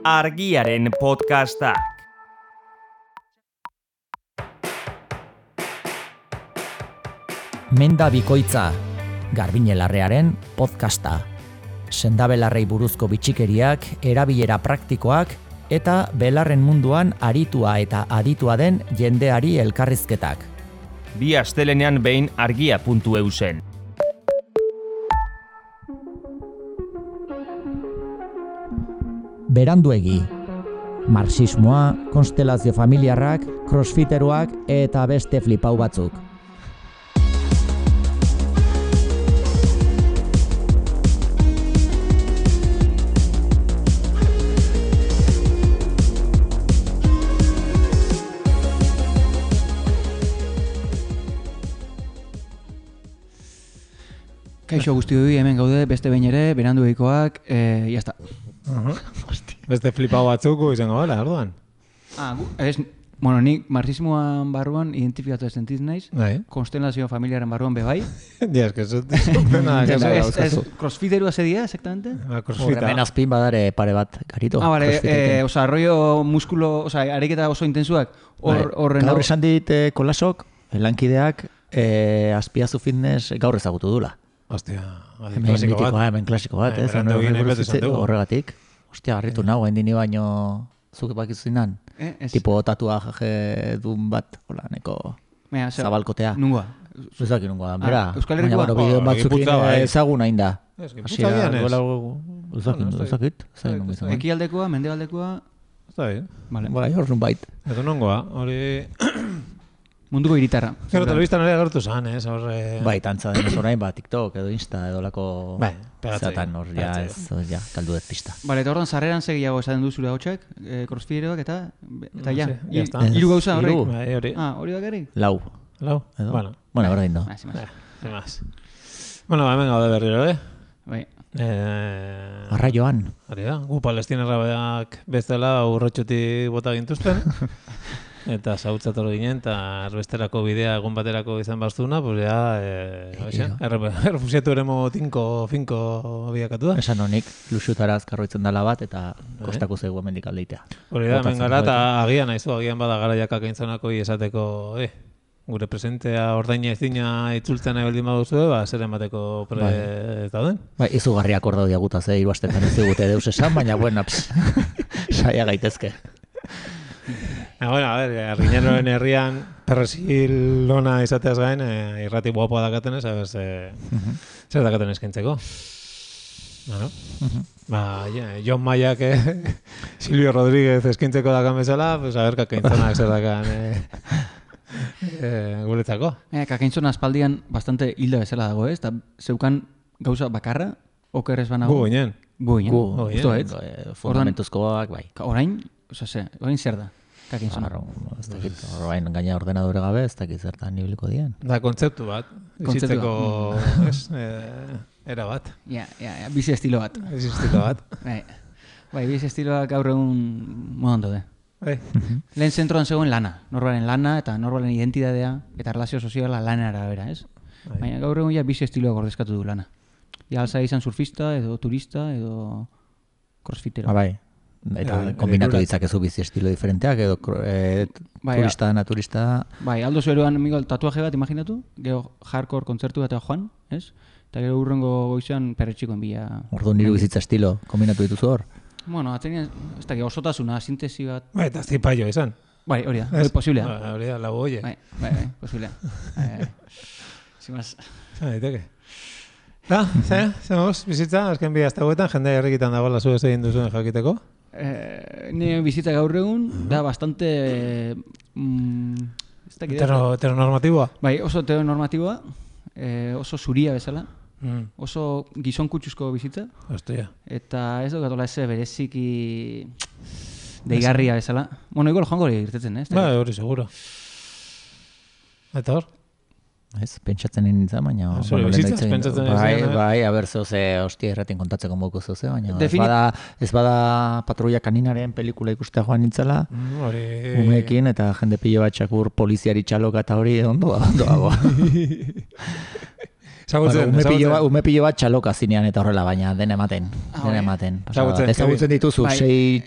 Argiaren podcastak. Menda bikoitza, Garbiñelarrearen podcasta. Sendabelarrei buruzko bitxikeriak, erabilera praktikoak eta belarren munduan aritua eta aditua den jendeari elkarrizketak. Bi astelenean behin argia.eu zen. Beranduegi. Marxismoa, konstelazio familiarrak, crossfiteroak eta beste flipau batzuk. Kaixo guztioi, hemen gaude, beste behin ere, berandueikoak, jazta. Beste flipau batzuko izango gara, orduan. Nik marxismoan barruan identifikatu sentiz naiz, konstelazio familiaren barruan bebai. Ja, eske ez crossfiterua zedia, exactamente? Horremen azpin badare pare bat garito. Arroio muskulo, ariketa oso intensuak. Gaur esan dit kolasok, lankideak, azpiazu fitness gaur ezagutu dula. Ostia, hemen klasiko bat, ez? Horregatik. Ostia, garritu nago, hendini baino zuke bakizu zinan. Tipo tatuaje dun bat, hola, neko zabalkotea. Nungoa? Ezaki nungoa, bera. Euskal Herrikoa? Baina, bideo batzukin ezagun hain da. Gipuzkoan ez? Ezakit. Ekialdekoa, mendebaldekoa? Está bien. Bai, horren bait. Edo nongoa, hori... Munduko hiritarra. Gero telebistan ere agertu zan, ez? Bai, tantza denez orain, TikTok edo Insta edo lako... Bai, pegatzei. Zatan hor, ja, kaldu dut pista. Bale, eta horren sarreran segiago esaten du zure hotxek, crossfiteroak eta ja. Está. Hiru gauza horrek. Hori. Hori bakarrik? Lau. Bueno, berdin do. Sin más. Bueno, hemen gaude berriro, Bai. Arraioan. Hori da, gu palestinarrak bestela urrotxotik bota gintuzten. Eta zautzatoro ginen, eta erbesterako bidea egun baterako izan baztuna, pues ya, errefusiatu eremo finko biakatu da. Esan honik, luxutara azkarroitzen dela bat, eta kostako zegu hemendik aldeitea. Hori da, hemen gara, eta agian bada garaiak akaintzonako esateko, gure presentea ordaina ezina itzultzen nahi baldin baduzu, zer emateko ez dauden. Bai, izugarriak hor daude agutaz, hiru astetan ez digute deus esan, baina bueno, saia gaitezke. Bueno, Argiñeroen herrian perresil lona izateaz gain, irrati guapoa dakaten ez, zer dakaten eskaintzeko. Jon Maiak Silvio Rodríguez eskaintzeko dakan bezala, pues a ver kakaintzonak zer dakan guretzako. Kakaintzona aspaldian bastante hilda bezala dago, ez? Zeukan gauza bakarra, oker ez banago? Gu ginen. Fundamentuzkoak, bai. Orain zer da? Kakintzona. Orain gaina ordenadore gabe, ez dakit zertan nibiliko dien. Da, kontzeptu bat. Bizitzeko, era bat. Bizi estilo bat. Bai, bizi estiloak gaur egun modan daude. Lehen zentroan zegoen lana. Norbaren lana eta norbaren identidadea eta relazio soziala lanera bera, ez? Baina gaur egun bizi estiloak ordezkatu du lana. Alza izan surfista, edo turista, edo crossfitero. Bai. Eta kombinatu ditzakezu bizi estilo diferenteak, edo turista, naturista. Bai, aldo zueroan tatuaje bat imaginatu, gero hardcore kontzertu bat joan, ez? Eta gero urrengo goizean perretxikoen bila. Ordu niru bizitza estilo, kombinatu dituzu hor? Bueno, atzenian, ez da, osotasuna, sintesi bat. Bai, eta zipaio izan. Bai, hori da, posiblea. Hori da, lago oie. Bai, posiblea. Zimaz. Daiteke. Zemoz, bizitza, azken bi hasta huetan, jende herrikitan dagoela zu ez egin duzuen jakiteko? Nire bizitza gaur egun, da bastante... Heteronormatiboa? Bai, oso heteronormatiboa, oso zuria bezala, oso gizon kutsuzko bizitza. Ostia. Eta ez dugatola ez bereziki deigarria bezala. Bueno, igual joango hori irtetzen, ez? Bai, hori seguro. Eta hor? Ez, pentsatzen nintzen, baina... Zure bizitzaz, pentsatzen nintzen. Bai, haber zoze, hostia erratin kontatzeko moku zoze, baina ez bada Patrulla Kaninaren pelikula ikustea joan nintzela, umeekin, eta jende pilo bat txakur poliziari txaloka eta hori ondo dago. Ume pilo bat txaloka zinean eta horrela, baina den ematen. Ezagutzen dituzu, 6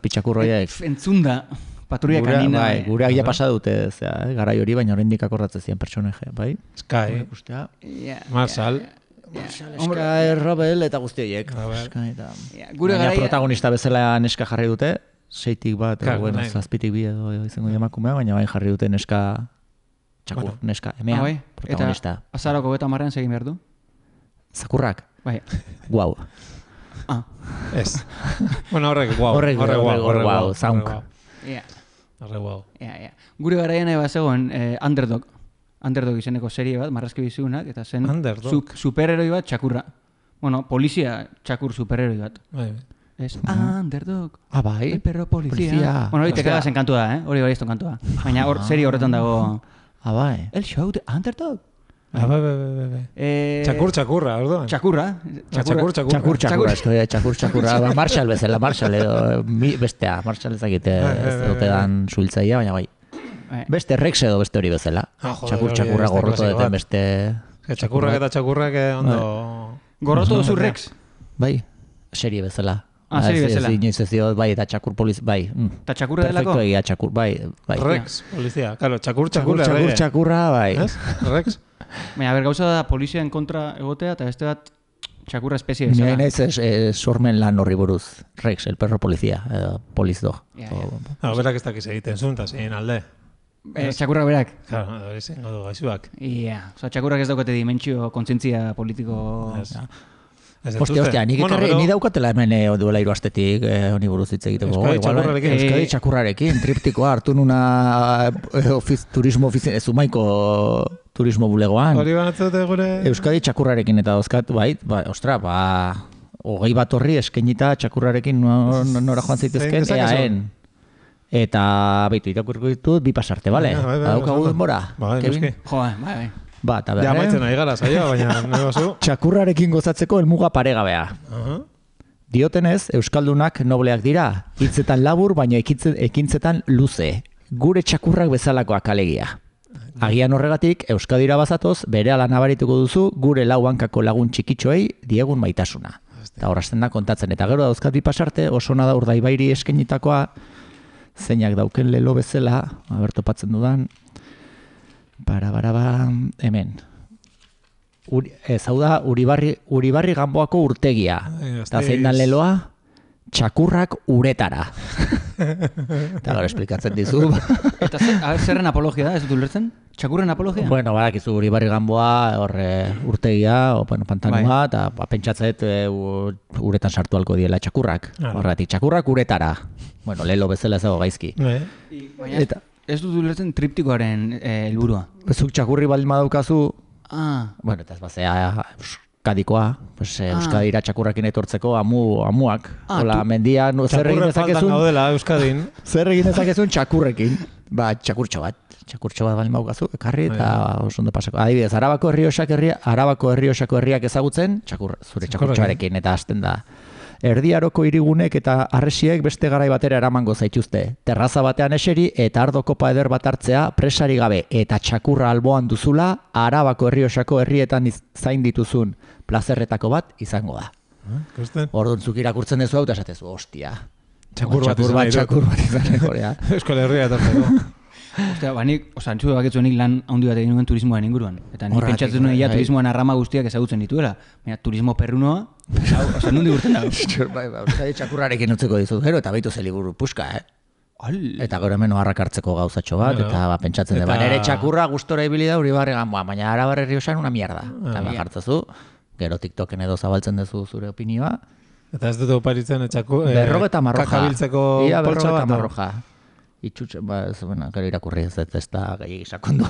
txakurroiek. Entzunda, patrulla kanina. Gure agia pasa dute, garai hori, baina oraindik akordatzen ziren personaje, bai? Sky, Marshall, Sky, Robel eta guzti horiek. Baina protagonista bezala neska jarri dute, 6tik bat, 7tik bi edo izango emakumea, baina bain jarri dute neska txakur, neska, emea, protagonista. Eta azarako beta marrean segin behar du? Zakurrak? Bai. Guau. Ez. Bueno, horrek guau. Horrek guau, zaunk. Horrek guau. Gure garaian eba zegoen Underdog izeneko serie bat, marrazki bizunak, eta zen superheroi bat txakurra. Bueno, polizia txakur superheroi bat. Es Underdog. Bai. El perro policía. Bueno, hori te cagas en kantua, hori ez kantua. Baina serie horretan dago. Bai. El show de Underdog. Bai. Txakurra, orduan. Txakurra. Txakurra. Marshall bezala, Marshall edo bestea. Marshall ezakite ez dute dan suiltzaia, baina bai. Beste Rex edo beste hori bezala. Txakurra gorroto duten beste... Txakurrak ondo... Gorroto duzu Rex? Bai, serie bezala. Serie bezala. Bai, eta txakur polizia, bai. Eta txakurra delako? Perfecto egia, txakur, bai. Rex, polizia. Claro, txakurra, bai. Rex. Baina, gauza da polizien kontra egotea, eta beste bat txakurra espezie bezala. Nire ez sormen lan horri buruz. Rex, el perro polizia, polizdog. Berak ez dakiz egiten zuen, eta zein alde. Txakurrak berak? Claro, hori zen godu gaixuak. Txakurrak ez daukate dimentsio kontzientzia politiko... Ostia, ni daukatela hemen duela 3 astetik honi buruz hitz egiteko. Euskadi txakurrarekin, triptikoa hartu nuna turismo Zumaiko turismo bulegoan. Hori banatzute gure... Euskadi txakurrarekin eta dauzkat, bai, ostra, 20 bat horri eskenita txakurrarekin nora joan zaitezken, eaen. Eta behitu, irakurko ditut, 2 pasarte, bale? Daukagu denbora, Kevin? Bai. Eta behar, ja, maitzen nahi gara, zaila, baina nahi bazu. Txakurrarekin gozatzeko helmuga paregabea. Diotenez, euskaldunak nobleak dira, hitzetan labur, baina ekintzetan luze. Gure txakurrak bezalakoak alegia. Agian horregatik, Euskadira bazatoz, berehala nabarituko duzu, gure lau hankako lagun txikitxoei diegun maitasuna. Eta horazten da kontatzen, eta gero dauzkat 2 pasarte, oso nada Urdaibairi eskenitakoa, zeinak dauken lelo bezala, topatzen dudan, hemen. Hau da, Uribarri Ganboako urtegia. Eta zein dan leloa, txakurrak uretara. Eta gara esplikatzen dizu. Eta zerren apologia da, ez dut ulertzen? Txakurren apologia? Bueno, badakizu Uribarri Ganboa, urtegia, pantanua, eta pentsatzeet uretan sartu alko diela txakurrak. Horretik, txakurrak uretara. Bueno, lelo bezala ez dago gaizki. Eta ez dut ulertzen triptikoaren helburua. Zuk txakurri baldin badaukazu, bueno, eta ez bazea Euskadikoa, Euskadira txakurrakin etortzeko amuak. Hola, mendian, zer egin dezakezun? Zer egin dezakezun txakurrekin? Txakurtxo bat baldin badaukazu, ekarri eta oso ondo pasako. Adibidez, Arabako Errioxako herriak ezagutzen, zure txakurtxoarekin eta hasten da. Erdiaroko hirigunek eta harresiek beste garai batera eramango zaituzte. Terraza batean eseri eta ardo kopa eder bat hartzea presari gabe eta txakurra alboan duzula Arabako Errioxako herrietan zain dituzun plazerretako bat izango da. Orduan zuk irakurtzen duzu hau eta esatezu, ostia. Txakur bat izan Korea. Euskal Herria etortzeko. Ostia, nik, antxu baketzu nik lan handi bat egin nuen turismoaren inguruan. Eta nik pentsatzen nuen turismoan arrama guztiak ezagutzen dituela. Baina turismo perrunoa, nundi urten dago. Euskadi txakurrarekin utzeko dizut, gero eta behitu zeliburu puska, Eta gero hemen harrak hartzeko gauzatxo bat, eta pentsatzen dut. Nere txakurra gustora ibili da Uribarri Ganboa, baina Arabar Errioxan una mierda. Eta jartzezu, gero TikToken edo zabaltzen duzu zure opinioa. Eta ez dut oparitzen berrogeta marroja. Kakabiltzeko poltsa bat. Marroja. Itxutxe, gero irakurri ez da gehiagik sakondu.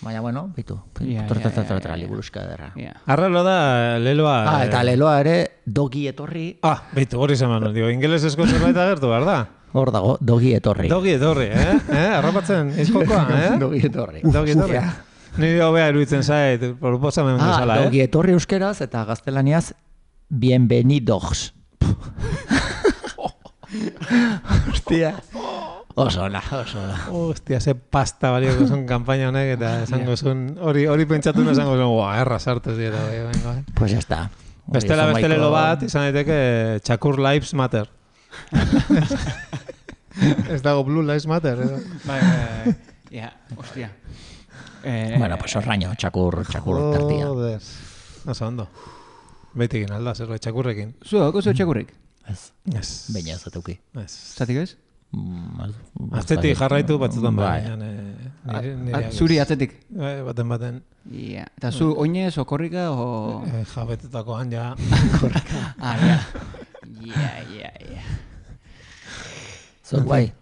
Baina, bueno, bitu. Liburuska ederra. Arralo da, leloa... Eta leloa ere, dogi etorri. Bitu, hori zeman, ingeles esko zerbait agertu, behar da? Hor dago, dogi etorri. Dogi etorri, Arrapatzen, izkokoa, Dogi etorri. Nire hobea eruditzen zait, proposamen bezala, Dogi etorri euskeraz eta gaztelaniaz, bienvenidos. Hostia. Oso ona. Hostia, ze pasta balioko zuen kampaina honek, eta esango zuen, hori pentsatu esango zuen, erra sartu zieta. Pues ya está. Beste lelo bat, izan daiteke Txakur Lives Matter. Ez dago Blue Lives Matter, edo? Hostia. Bueno, pues orraño, Txakur terdia. Joder. Oso ondo. Beitekin alda, zerbait Txakurrekin. Zuek, oso Txakurrik? Ez. Baina ez atuki. Zatik ez? Atzetik jarraitu batzutan bai. Zuri atzetik? Baten. Eta zu oinez o korrika o... Jabetetakoan ja. Korrika. Zut bai.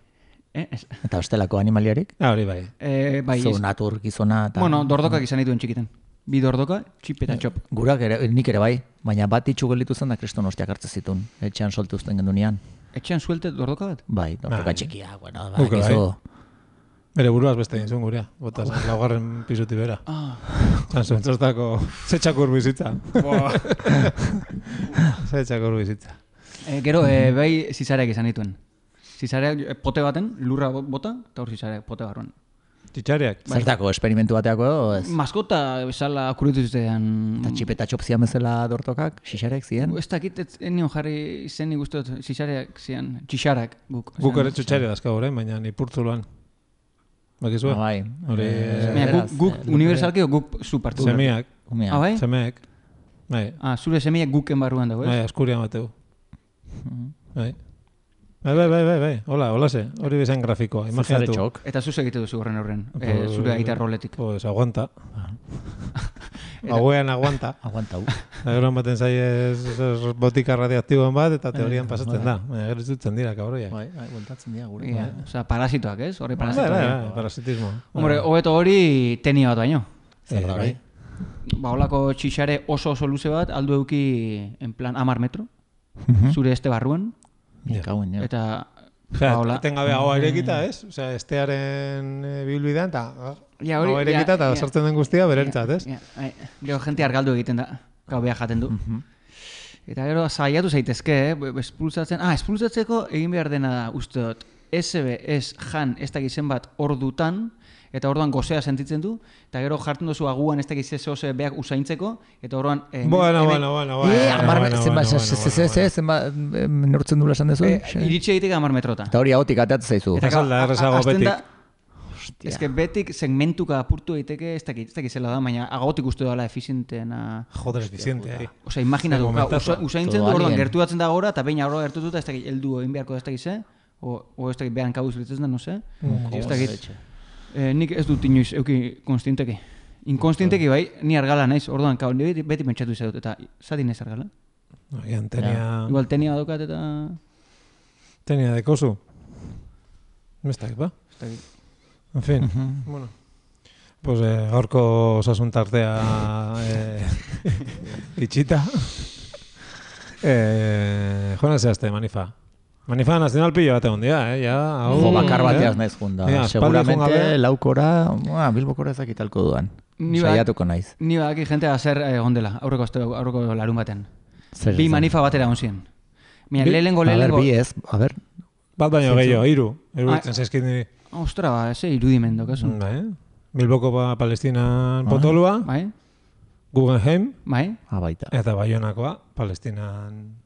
Eta ostelako animaliarik? Hori bai. Zu natur gizona. Bueno, dordokak izan dituen txikiten. Bi dordoka, txip eta txop. Gurak nik ere bai, baina bat itxugelitu zen da kriston ostiak hartzen zituen. Etxean solte uzten gendunean. Etxean suelte dordoka bat? Bai, dordoka txikia, bueno, bakizu. Bere buruaz beste egin zuen gurea, bota zen laugarren pisuti bera. Zan zuen txostako, ze Txakur bizitza. Ze Txakur bizitza. Gero, bai zizareak izan dituen. Zizareak pote baten, lurra bota, eta hor zizareak pote barruan. Txitxareak? Zertako, esperimentu bateako edo ez? Maskota bezala akuritu zitean... Eta txipeta txopzian bezala dortokak, xixareak ziren? Ez dakit, enion jarri izen nik uste dut, xixareak ziren, txixarak guk. Guk ere txutxare dazka horrein, baina nipurtzuloan. Bakizua? Bai. Guk universalki o guk zu partikular? Semiak. Bai? Semeak. Bai. Zure semiak guken barruan dago, ez? Bai, askurian bateu. Bai. Bai. Hola ze. Hori bezain grafikoa, imaginatu. Eta zuz egite duzu horren, zure aita roletik. Pues aguanta. Hauean aguanta. Aguanta hu. Gero baten zai botika radioaktiboan bat, eta teorian pasatzen da. Gero izutzen dira, kabroiak. Bai, bueltatzen dira gure. Osa, parasitoak, ez? Horri parasitoak. Bai, parasitismo. Hombre, hobeto hori tenia bat baino. Zer da, bai. Holako txixare oso luze bat, aldu euki, en plan, 10 metro. Zure este barruan. Eta... Etengabe hau airekita, ez? Osea, estearen bilbidean, eta hau airekita, eta sortzen den guztia berentzat, ez? Gero jente argaldu egiten da, gau behar jaten du. Eta gero saiatu zaitezke, espulsatzeko egin behar dena da, uste dut, SB, jan, ez dakizen bat ordutan, eta orduan gozea sentitzen du, eta gero jartzen duzu aguan ez dakiz zehose behak usaintzeko, eta orduan... Bueno. Zenbat neurtzen dula esan dezu? Iritsi egitek 10 metrota. Eta hori agotik ateatzen zaizu. Eta salda errezago betik. Ez que betik segmentuka apurtu egiteke, ez dakizela da, baina agotik uste dela efizienteena... Joder, efiziente. Osea, imaginatu, usaintzen du, orduan gertuatzen da gora, eta baina horra gertututa ez dakit, heldu egin beharko ez dakize, o ez dakit behan kabuz litzen da, no se? Ez dakit. Nik ez dut inoiz euki konstienteki. Inkonstienteki bai, ni argala naiz, orduan, beti pentsatu izan dut, eta zati naiz argala. Igual tenia badokat eta... Tenia dekozu. Mestak, ba? En fin, bueno. Pues gaurko osasun tartea itxita. Joan zehazte, Manifa. Manifa nazional pillo bate hondia, bakar bateaz naiz junda. Seguramente laukora, bilbokora ezakitalko duan. Saiatuko naiz. Ni badaki jentea zer ondela, aurreko larun baten. Bi Manifa batera onzien. Lehengo... Bi ez, a ber. Bat baino gehiago, 3. Iruditzen zaizkit niri. Ostra, eze irudimendo, kaso. Bilboko Palestinan potolua. Guggenheim. Baita. Eta Baionakoa, Palestinan...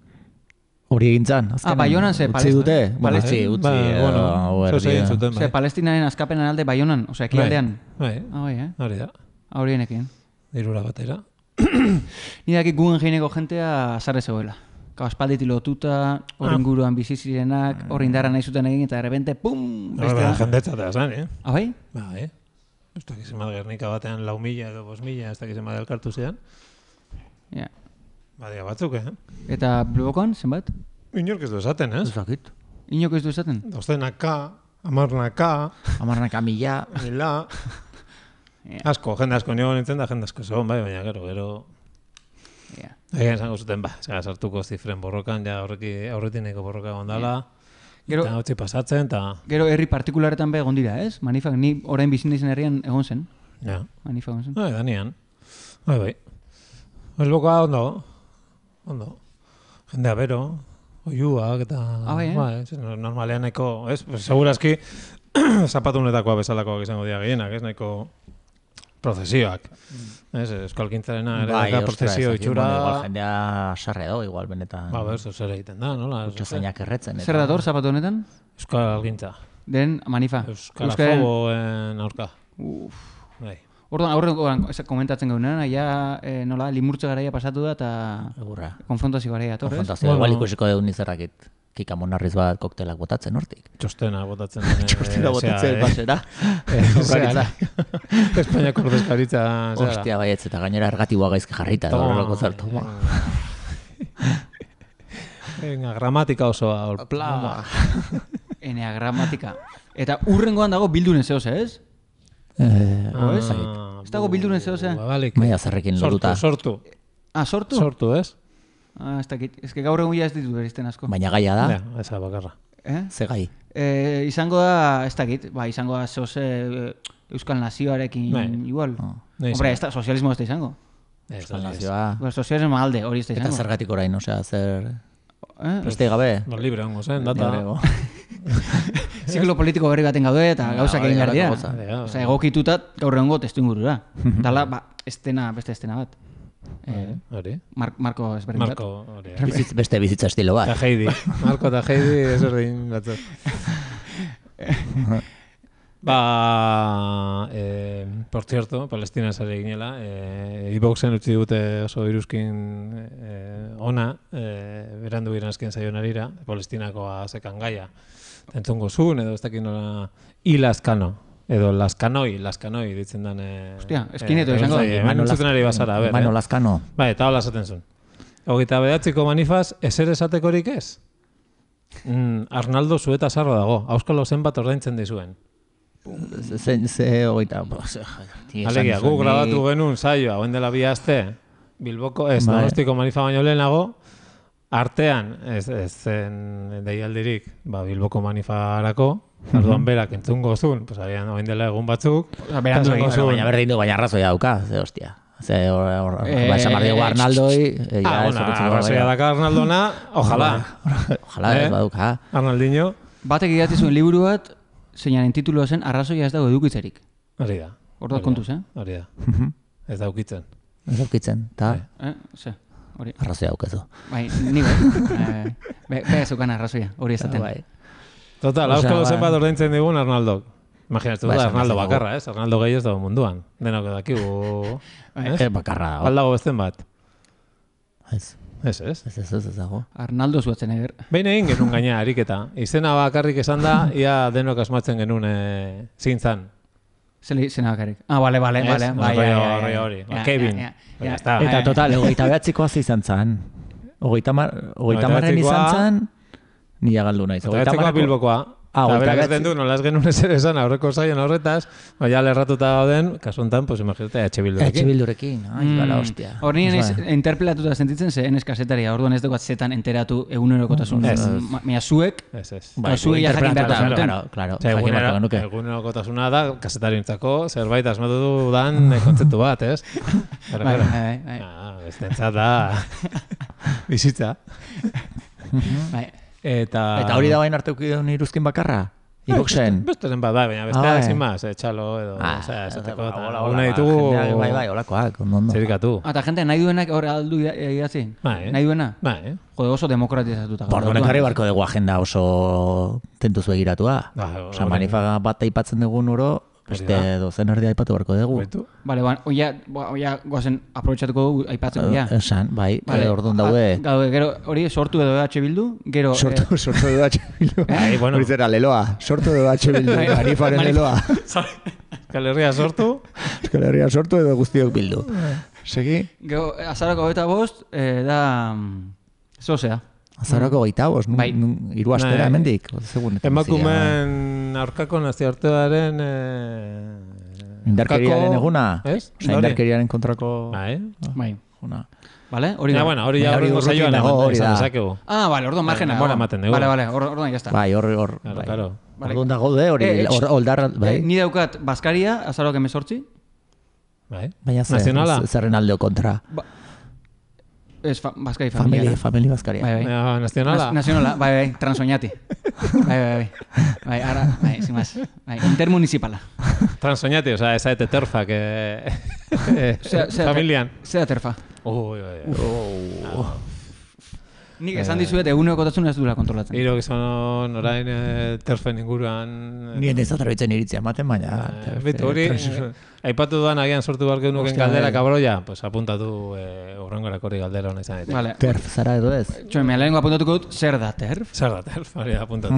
Hori egintzan, azkenan. Baionan ze Palestina. Utzi. Ze Palestinaren azkapenan alde Baionan, osea, ekialdean. Hori da. Horienekin. 3 batera. Ni daki Guggenheimeko jentea zarre zegoela. Aspalditi lotuta, hori inguruan bizizirenak, hori indarra nahi zuten egin, eta de repente, pum! Jendetzatea zan, Bai? Bai. Ez dakizen bat Gernika batean 4.000 edo 5.000, ez dakizen bat elkartu zean. Ja. Badia batzuk, Eta Bilbokoan, zenbat? Inork ez du esaten, ez? Zakit. Inok ez du esaten? 200K, 10K, 10K, 1000. Asko, jende asko nio nintzen da, jende asko zegoen, bai, baina gero... Egin zango zuten, sartuko zifren borrokan, ja aurretineko borroka gondala, eta hotzi pasatzen, eta... Gero herri partikularetan be egon dira, ez? Manifak, ni orain bizin dizen herrian egon zen. Ja. Manifak egon zen. Bai, danian. Bai. Bilbokoa ondo. Jendea bero, oiuak eta... normalean nahiko, ez? Segurazki, zapatunetakoa bezalakoak izango dira gehienak, ez? Nahiko prozesioak. Euskalgintzarena ere prozesio itxura... Igual jendea sarre do, igual benetan... zer egiten da, nola? Utxazainak erretzen. Zer dator zapatu honetan? Euskalgintza. Den manifa. Euskalafoboen aurka. Bai. Orduan, komentatzen gaunean, nola, limurtze garaia pasatu da eta konfrontazio garaia atorrez. Konfrontazio, igual ikusiko deun nizerrakit. Kika monarriz bat koktelak botatzen hortik. Txostena botatzen. Txostena botatzen basera. Espainiako ordezkaritza. Ostia, baietz, eta gainera ergatibua gaizki jarrita. Horrelako zartu. Gramatika osoa. Enea gramatika. Eta urrengoan dago bildunen zehoz, ez? Ez dago bildunen zehoz, Maia zerrekin lotuta. Sortu. Sortu? Sortu, ez? Ez dakit. Ez que gaur egun ez ditu berizten asko. Baina gaia da? Eza bakarra. Ze gai? Izango da, ez dakit, izango da zehoz Euskal Nazioarekin igual. Hombre, sozialismo ez da izango. Euskal Nazioa. Sozialismo alde, hori ez da izango. Eta zergatik orain, osea, zer... Preste gabe? Libre hongo zen, data. Ziklo politiko berri baten gaude eta gauzak egin behar dira. Osa, egokitutat gaur egongo testu ingurura. Dala, beste estena bat. Marko ezberdin bat. Beste bizitza estilo bat. Eta Heidi. Marko eta Heidi ezberdin batzuk. Por cierto, Palestina sare ginela, iBoxen utzi dute oso iruzkin ona, berandu giranazken zaionarira, Palestinakoa zekan gaia. Entzungo zuen, edo ez dakin nola, Ilaskano, edo Laskanoi ditzen dan... Hostia, eskineto izango. Entzuten ari basara, a ber. Mano Laskano. Eta hola esaten zuen. 29ko manifaz, ezer esatekorik ez? Arnaldo zueta sarro dago, auskalo zenbat ordaintzen dizuen. Ze hogeita... Alegia, gu grabatu genuen saioa, oen dela 2 aste, Bilboko, Donostiko manifa baino lehenago, artean, ez zen deialdirik, Bilboko manifarako, arduan berak entzungo zuen, oen dela egun batzuk, baina berdin du, baina arrazoia dauka, ze hostia. Ze esamar diego Arnaldoi... Arrazoia daka Arnaldona, ojalá. Ojalá, ez baduka. Arnaldinho. Batek idatzi zuen liburu bat, zeinaren tituloa zen, arrazoia ez dago edukitzerik. Hori da. Hor da kontuz, Hori da. Ez daukitzen. Ez daukitzen, eta... Arrazoia daukezu. Bai, ni bai. Bezukan arrazoia, hori ezaten. Total, auskalo zenbat ordaintzen digun Arnaldok. Imaginatu da, Arnaldo bakarra, ez? Arnaldo gehi ez dago munduan. Denok dakigu... Bakarra dago. Baldago besten bat. Ez. Ez dago. Arnaldo zuatzen eger. Behin egin genuen gaina ariketa. Izena bakarrik esan da, ia denok asmatzen genuen zintzan. Zena bakarrik. Bale. Hori. Kevin. Eta total, 29koa izan zan. 30 izan zan, nila galdu naiz. 29koa Bilbokoa. Eta berak ez den du, nolaz genuen ezer esan aurreko zaion horretaz, ja lerratuta gauden, kasu honetan, imagínate, H. Bildurekin. Bala, hostia. Hor nien interpelatuta sentitzen ze, enez kasetaria, orduan ez dugu zetan enteratu egunerokotasun. Mira, zuek, zuek ja jakin behar da. Egunerokotasuna da, kasetarientzako, zerbait asmatu dudan kontzeptu bat, ez? Bestentzat da, bizitza. Eta hori da bain arte ukidun iruzkin bakarra? Iboxen? Besteren bat, baina besteak ezin maz, txalo edo, esateko, eta hona ditugu... Bai, holakoak, ondo. Zerikatu. Eta jente, nahi duenak hor aldu idatzi? Nahi duena? Jode, oso demokratizatuta. Bordonek harri barko dugu agenda oso tentuz begiratua. Osa, manifa bat aipatzen dugun oro, beste dozen erdia aipatu barko dugu. Bale, oia goazen aprobetxatuko dugu aipatzen dugu. Esan, bai, orduan daude. Gero hori sortu edo H. Bildu, gero... Sortu edo H. Bildu. Hori zera, leloa. Sortu edo H. Bildu. Manifaren leloa. Euskal Herria sortu. Euskal Herria sortu edo guztiok bildu. Segi? Gero, azarako 25 da... Zozea. Azarako 25, hiru astera hemendik. Emakumen aurkako nazioartearen... Indarkeriaren eguna? Ez? Indarkeriaren kontrako... Bai. Vale, hori da. Hori ja horrengo saioan esan dezakegu. Vale, orduan margena. Vale, orduan jazta. Bai, hor. Orduan da gaude, hori, oldar... Ni daukat Baskaria, azarok 18. Bai. Baina zerren aldeo kontra. Ez, Baskari familia. Famili Baskaria. Bai. Nazionala? Nazionala, bai, Transoñati. Bai. Bai, ara, bai, sin más. Bai, intermunicipala. Transoñati, o sea, esa de terfa que... familian. Zera terfa. Ui. Nik esan dizuet egunekotasun ez duela kontrolatzen. Hiro gizon orain terfen inguruan... Nien ez atrabitzen iritzia ematen, baina... Bitu hori, aipatu duan agian sortu barke nuken galdera kabroia, pues apuntatu urrengorako hori galdera hona izan. Vale. Terf, zara edo ez? Txoen, mea lehenko apuntatuko dut, zer da terf? Zer da terf, hori apuntatu.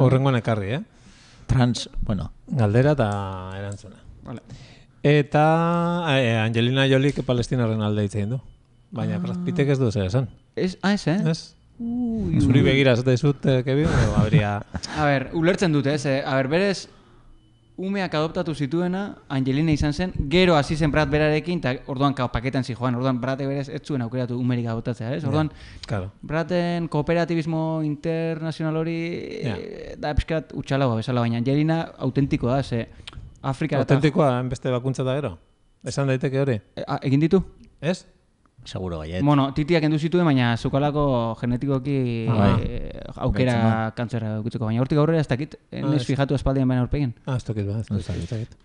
Urrengoan ekarri, Bueno. Galdera eta erantzuna. Vale. Eta Angelina Jolik Palestinaren alde hitzein du. Baina Brad Pittek ez du zer esan. Ez, Ez? Zuri begira ez dizut, Kevin, habría... A ber, ulertzen dute, ez? A ber, berez, umeak adoptatu zituena, Angelina izan zen, gero hasi zen Brad berarekin, eta orduan paketan zijoan, orduan Brad berez ez zuen aukeratu umerik adoptatzea, ez? Orduan, claro. Braden kooperatibismo internazional hori da pixkat utxalagoa bezala, baina Angelina autentikoa da, ze Afrika... Autentikoa, beste bakuntza da gero? Esan daiteke hori? Egin ditu? Ez? Seguro baiet. Bueno, titiak endu zituen, baina zukalako genetikoki aukera kantzera dukitzeko. Baina hortik aurrera ez dakit, ez fijatu espaldian baina aurpegin. Ez dakit.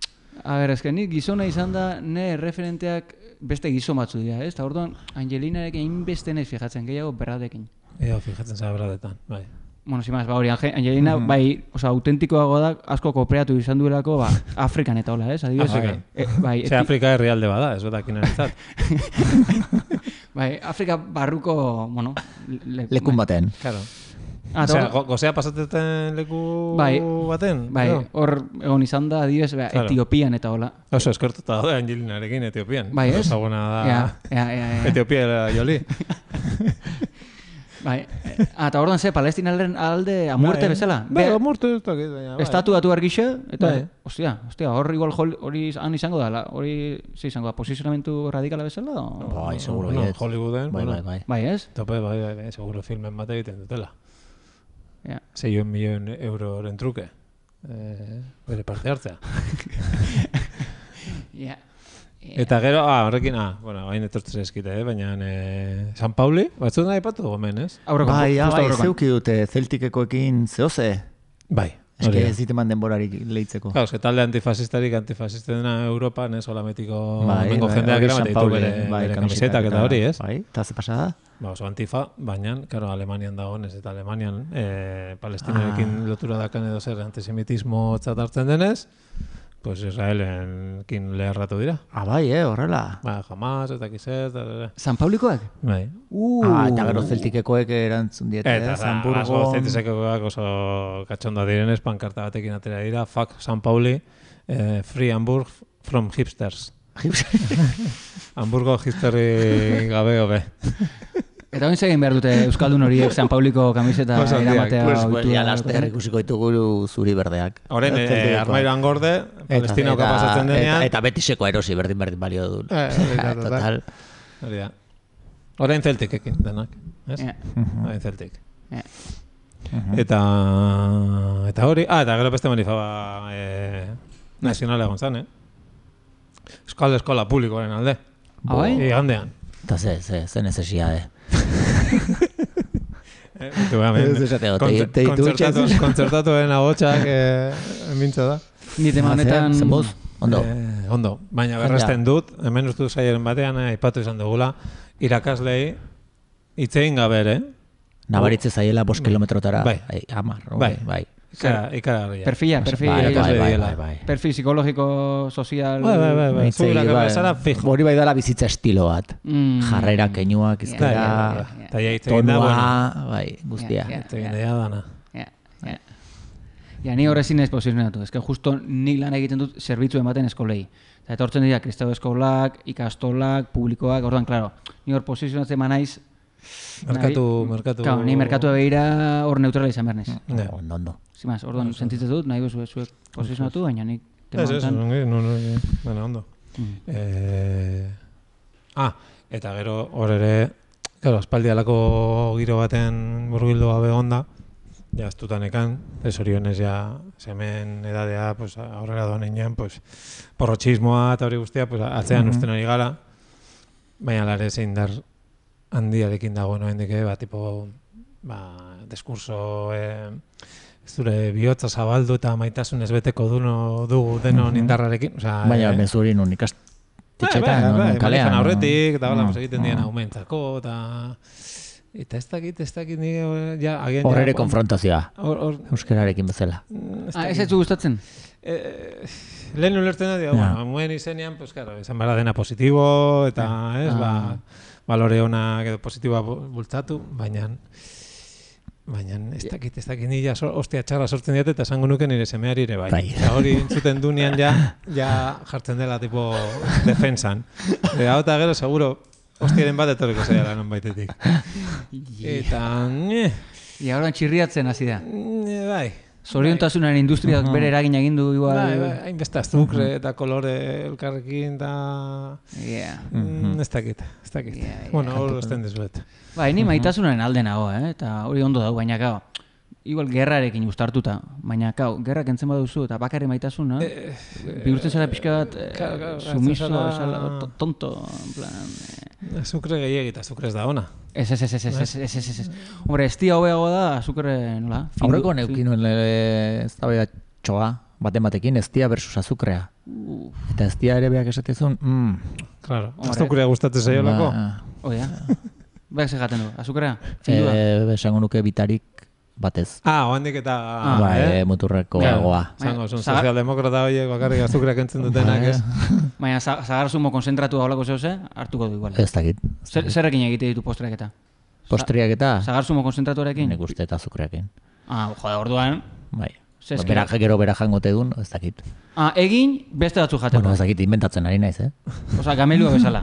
A ber, ezken nik gizona izan da, ne referenteak beste gizon batzu dira, ez? Eta orduan, Angelinarekin hainbeste ez fijatzen, gehiago Bradekin. Fijatzen zara Bradetan, bai. Bueno, simaz, hori, Angelina, bai, autentikoago da, asko kooperatu izan duelako, Afrikan eta hola, ez? Afrikan. Ze Afrika herrialde bada, ez badakin erantzat. Bai, Afrika barruko, bueno... Lekun baten. Claro. Osea, gozea pasateten leku baten? Bai, hor egon izan da, adibidez, Etiopian eta hola. Oso, eskortuta da Angelinarekin Etiopian. Bai, ez? Ezaguna da... Etiopia era Joli. Bai, eta orduan ze, Palestinaren alde amurte bezala? Bai, amurte ez dakit, baina... Estatu batu argixe, eta, ostia, hor igual hori han izango da, hori ze izango da, posizionamentu radikala bezala? Bai, seguro, baiet. Hollywooden, bai, ez? Tope, bai, seguro filmen bat egiten dutela. 6 milion euroren truke, bere parte hartzea. Eta gero, horrekin, bain etortzen eskite, baina San Pauli, batzut nahi patu gomen, ez? Bai, zeuki dute Celticekoekin zehoze. Bai. Eske ez diteman denborarik lehitzeko. Claro, talde antifasista dena Europan, ez, holametiko mengo jendeak eramat ditu bere kamisetak eta hori, ez? Bai, eta ze pasada? Oso antifa, baina, karo, Alemanian dagoen ez, eta Alemanian Palestinarekin lotura dakan edo zer antisemitismo txatartzen denez, pues Israelenkin leherratu dira. Bai, horrela. Jamás, eta kizet... San Paulikoak? Bai. Eta gero Celticekoek erantzun diete, Hamburgo. Celticekoak oso katxonda direnez, pankarta batekin atera dira, fuck San Pauli, free Hamburg from hipsters. Hamburgo hipsterri gabe hobe. Eta oin egin behar dute Euskaldun horiek San Pauliko kamiseta eramatea oitu. Pues ya laster ikusiko ditugu zuri berdeak. Horen, armairoan gorde, Palestinauka pasatzen denean. Eta betiseko erosi berdin balio du. Total. Horen Celticekin denak. Horen Celtic. Eta hori, eta gero beste manifaba nazionala egon zan, Euskal Eskola Publikoaren alde. Bai? Igandean. Eta ze necesidade. Kontzertatuen agotxak mintza da. Nite manetan... Ondo. Baina berresten dut, hemen ustu zaiaren batean, aipatu izan dugula, irakaslei itzein gaber, Nabaritze zaiela 5 kilometrotara. Bai. 10, bai. Ikaragarria. Perfil psikologiko, sozial... Bai. Hori bai dela bizitza estilo bat. Jarrera, keinuak, izkera, tonua, bai, guztia. Egin dana. Ni horrezin ez posizionatu. Ez que justo nik lan egiten dut zerbitzuen baten eskolei. Eta etortzen dira kristau eskolak, ikastolak, publikoak, orduan, klaro, ni hor posizionatzen manaiz... Merkatu... Claro, ni merkatu begira hor neutrala izan behar naiz. Ondo. Zimaz, orduan sentitzen dut, nahi bezu zuek posizionatu, baina nik temantan... Baina, ondo. Eta gero hor ere, aspaldialako giro baten burgildu gabe onda, ja astutanekan, ez orionez ja semen edadea aurrera doan inean, porrotxismoa eta hori guztia, atzean usten hori gara, baina lare zein dar handiarekin dago noendik, tipo, diskurso, zure bihotza zabaldu eta maitasunez beteko dugu denon indarrarekin. Baina, mezurin un ikastetxetan, non kalean. Aurretik, eta hola, egiten dien aumentzako, eta ez dakit nire... Horrere konfrontazioa, euskararekin bezala. Ez ez gustatzen? Lehen ulertzen da, muen izenean, pues, claro, esan bara dena positibo, eta, balore honak edo positiboa bultzatu, baina ez dakit nila ostia txarra sortzen diat eta esango nuke nire semeari ere bai. Hori entzuten dunean ja jartzen dela tipo defensan. Hau eta gero seguro hostiaren bat etorriko zaila non baitetik. Eta... Ia horan txirriatzen hasi da. Bai. Zoriontasunaren industriak bere eragin egin du igual. Hainbeste azukre eta kolore elkarrekin eta... Ez dakit. Bueno, hor esten dezuet. Ni maitasunaren alde nago, eta hori ondo dago, baina gau, igual gerrarekin ustartuta, baina gau, gerrak entzen baduzu eta bakarri maitasuna, bihurtzen zara pixka bat sumiso, tonto, en plan... Azukre gehiagita, azukre ez da ona. Ez. Hombre, ez tia hobeago da, azukre, nola? Aurreko neukinuen ez da bega txoa, batekin, ez tia versus azukrea. Eta ez tia ere beak esatezun, Claro, azukrea gustatzen zaiolako. Oia. Beak segaten du, azukrea? Esango nuke bitarik batez. Oandik eta... Muturreko goa. Zango, sozialdemokrata horiek bakarrik azukreak entzen dutenak, ez? Baina, zagarzumo konzentratu haulako zehose, hartuko du igual. Ez dakit. Zerrekin egite ditu postreak eta? Postreak eta? Zagarzumo konzentratuarekin? Nik uste eta azukreakin. Jode, orduan... Bai. Gero bera jangote dun, ez dakit. Egin, beste batzu jateko. Bueno, ez dakit, inventatzen ari naiz, Osa, gamelua bezala.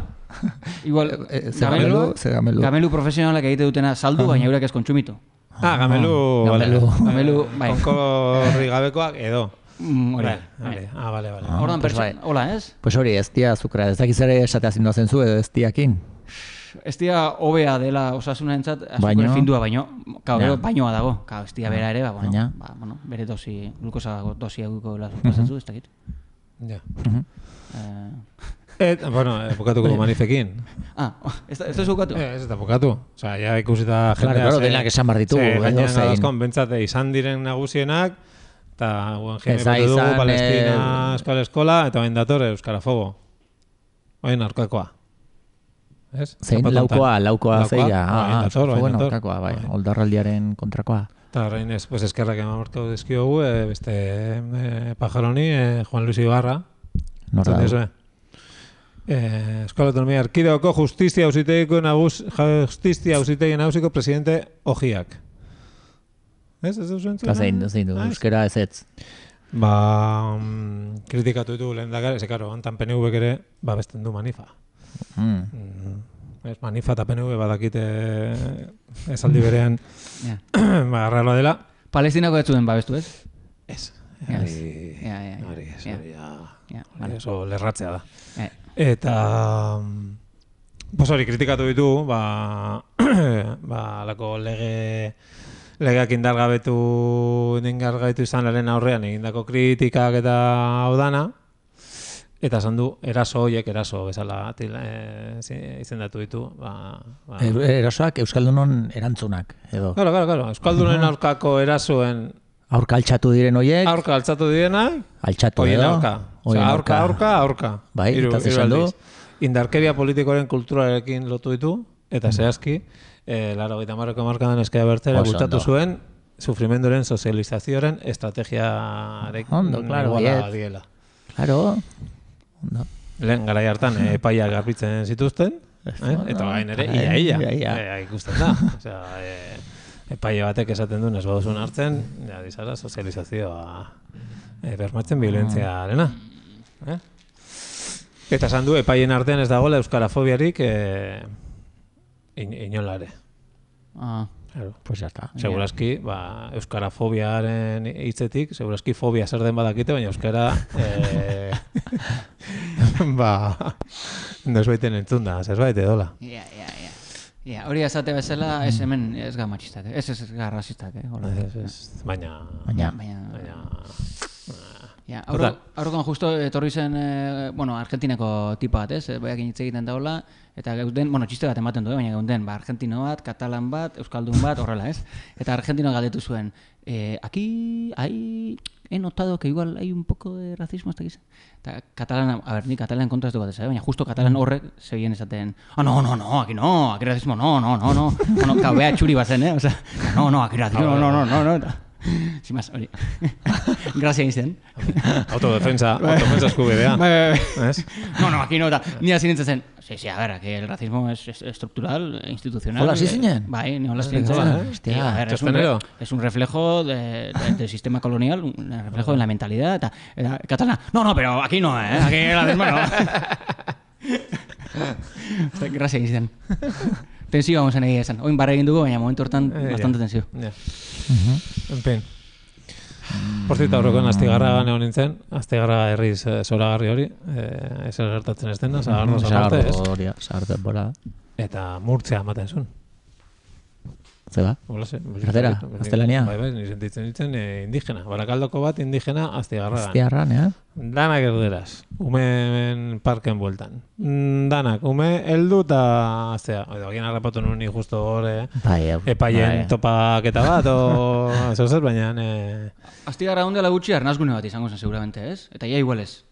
Igual, gamelu profesionalak egite dutena saldu, baina eurek ez kontsumitu. Gamelu, bai. Onkorri gabekoak edo. Vale. Ordan hola, ez? Pues hori, ez tia azukra, ez dakiz ere esatea zindu zenzu edo ez tiakin. Ez tia hobea dela osasuna entzat, azukre findua baino, bainoa dago. Ez tia bera ere, bere dosi, glukosa dosi eguko pasatzu, ez dakit. Ja. Bukatuko manifekin. Ez da zukatu? Ez da bukatu. Osa, ja ikusita jendea... Claro, denak esan behar ditu. Gaina gadazkon, bentsate izan diren nagusienak, eta guen jene dugu, Palestina, eskola, eta bain dator euskarafobo. Bain arkakoa. Zein, laukoa zeia. Fogoen arkakoa, bai. Oldarraldiaren kontrakoa. Eta horrein ez, eskerrak eman dizkiogu, beste pajaroni, Juan Luis Ibarra. Norda. Eskola Autonomia Erkidegoko Justizia Auzitegi Nagusiko presidente Ojiak. Ez duzu entzuna? Zein du, euskera ez ez. Kritikatu ditu lehendakari, ez karo, ontan PNV-ek ere, besten du Manifa. Manifa eta PNV badakite esaldi berean arraloa dela. Palestinako ez zuen babestu, ez? Ez. Hori oso lerratzea da. Eta hori kritikatu ditu, alako legeak indargabetu izan lehen aurrean egindako kritikak eta hau dana, eta esan du eraso bezala izendatu ditu. Erasoak euskaldunon erantzunak, edo? Claro, euskaldunen aurkako erasoen aurka altxatu diren horiek? Aurka altxatu direnak? Altxatu edo? Aurka. Bai, eta zesan du? Indarkeria politikoaren kulturarekin lotu ditu, eta zehazki, 80ko markadan Ezker Abertzaleak bultzatu zuen, sufrimenduaren sozializazioaren estrategiarekin iguala diela. Claro. Lehen garai hartan epaiak garbitzen zituzten, eta gain ere, ia ikusten da. Epaile batek esaten duen ez baduzun hartzen, dizara sozializazioa bermatzen violentzia-arena. Eta esan du, epailen artean ez dagoela euskarafobiarik inolare. Pues ya está. Segurazki, euskarafobiaren hitzetik, segurazki fobia zer den badakite, baina euskara nosbaiten entzun da, zerbait edola. Hori azate bezala, ez hemen ez ga matxistak, ez ga rasistak, baina... Aurrokan justo etorri zen, Argentinako tipa bat, baiakin hitz egiten daula, eta gauden, txiste bat ematen du, baina gauden, argentino bat, katalan bat, euskaldun bat, horrela, ez? Eta argentino galdetu zuen, aquí he notado que igual hay un poco de racismo hasta aquí. Eta katalan, ni katalan kontra ez dugu baina justo katalan horrek segien esaten, no, aquí racismo, no, kabea txuri bazen, o sea, no, aquí racismo, no. Sin más, hori. Grazia izan. Autodefensa eskubidea. No, aquí no. Ni así nintzen. Sí, a ver, que el racismo es estructural, institucional. Hola, sí, señor. Ni hola, sí, es un reflejo del sistema colonial, un reflejo de la mentalidad. Catalana, no, pero aquí no, aquí el racismo no. Grazia izan. Tensio vamos a negar esan. Oin barra egin dugu, baina momentu hortan bastante tensio. En fin. Por cierto, aurrekoen Astigarragan egon nintzen, Astigarraga herriz zoragarri hori, ez gertatzen ez dena, Sagardoz aparte, ez? Sagardoz bora. Eta Murtzia ematen zuen. Zeba? Erdera, Gaztelania? Bai, ni sentitzen nintzen indigena. Barakaldoko bat indigena Astigarragan. Astigarragan, Danak erderaz, umen parken bueltan. Danak, ume heldu eta aztea. Egin harrapatu nuen justo hor epaien topaketa bat, o eso zer, baina... Astigarra ondela gutxi arnazgune bat izango zen seguramente, ez? Eta ia igual ez.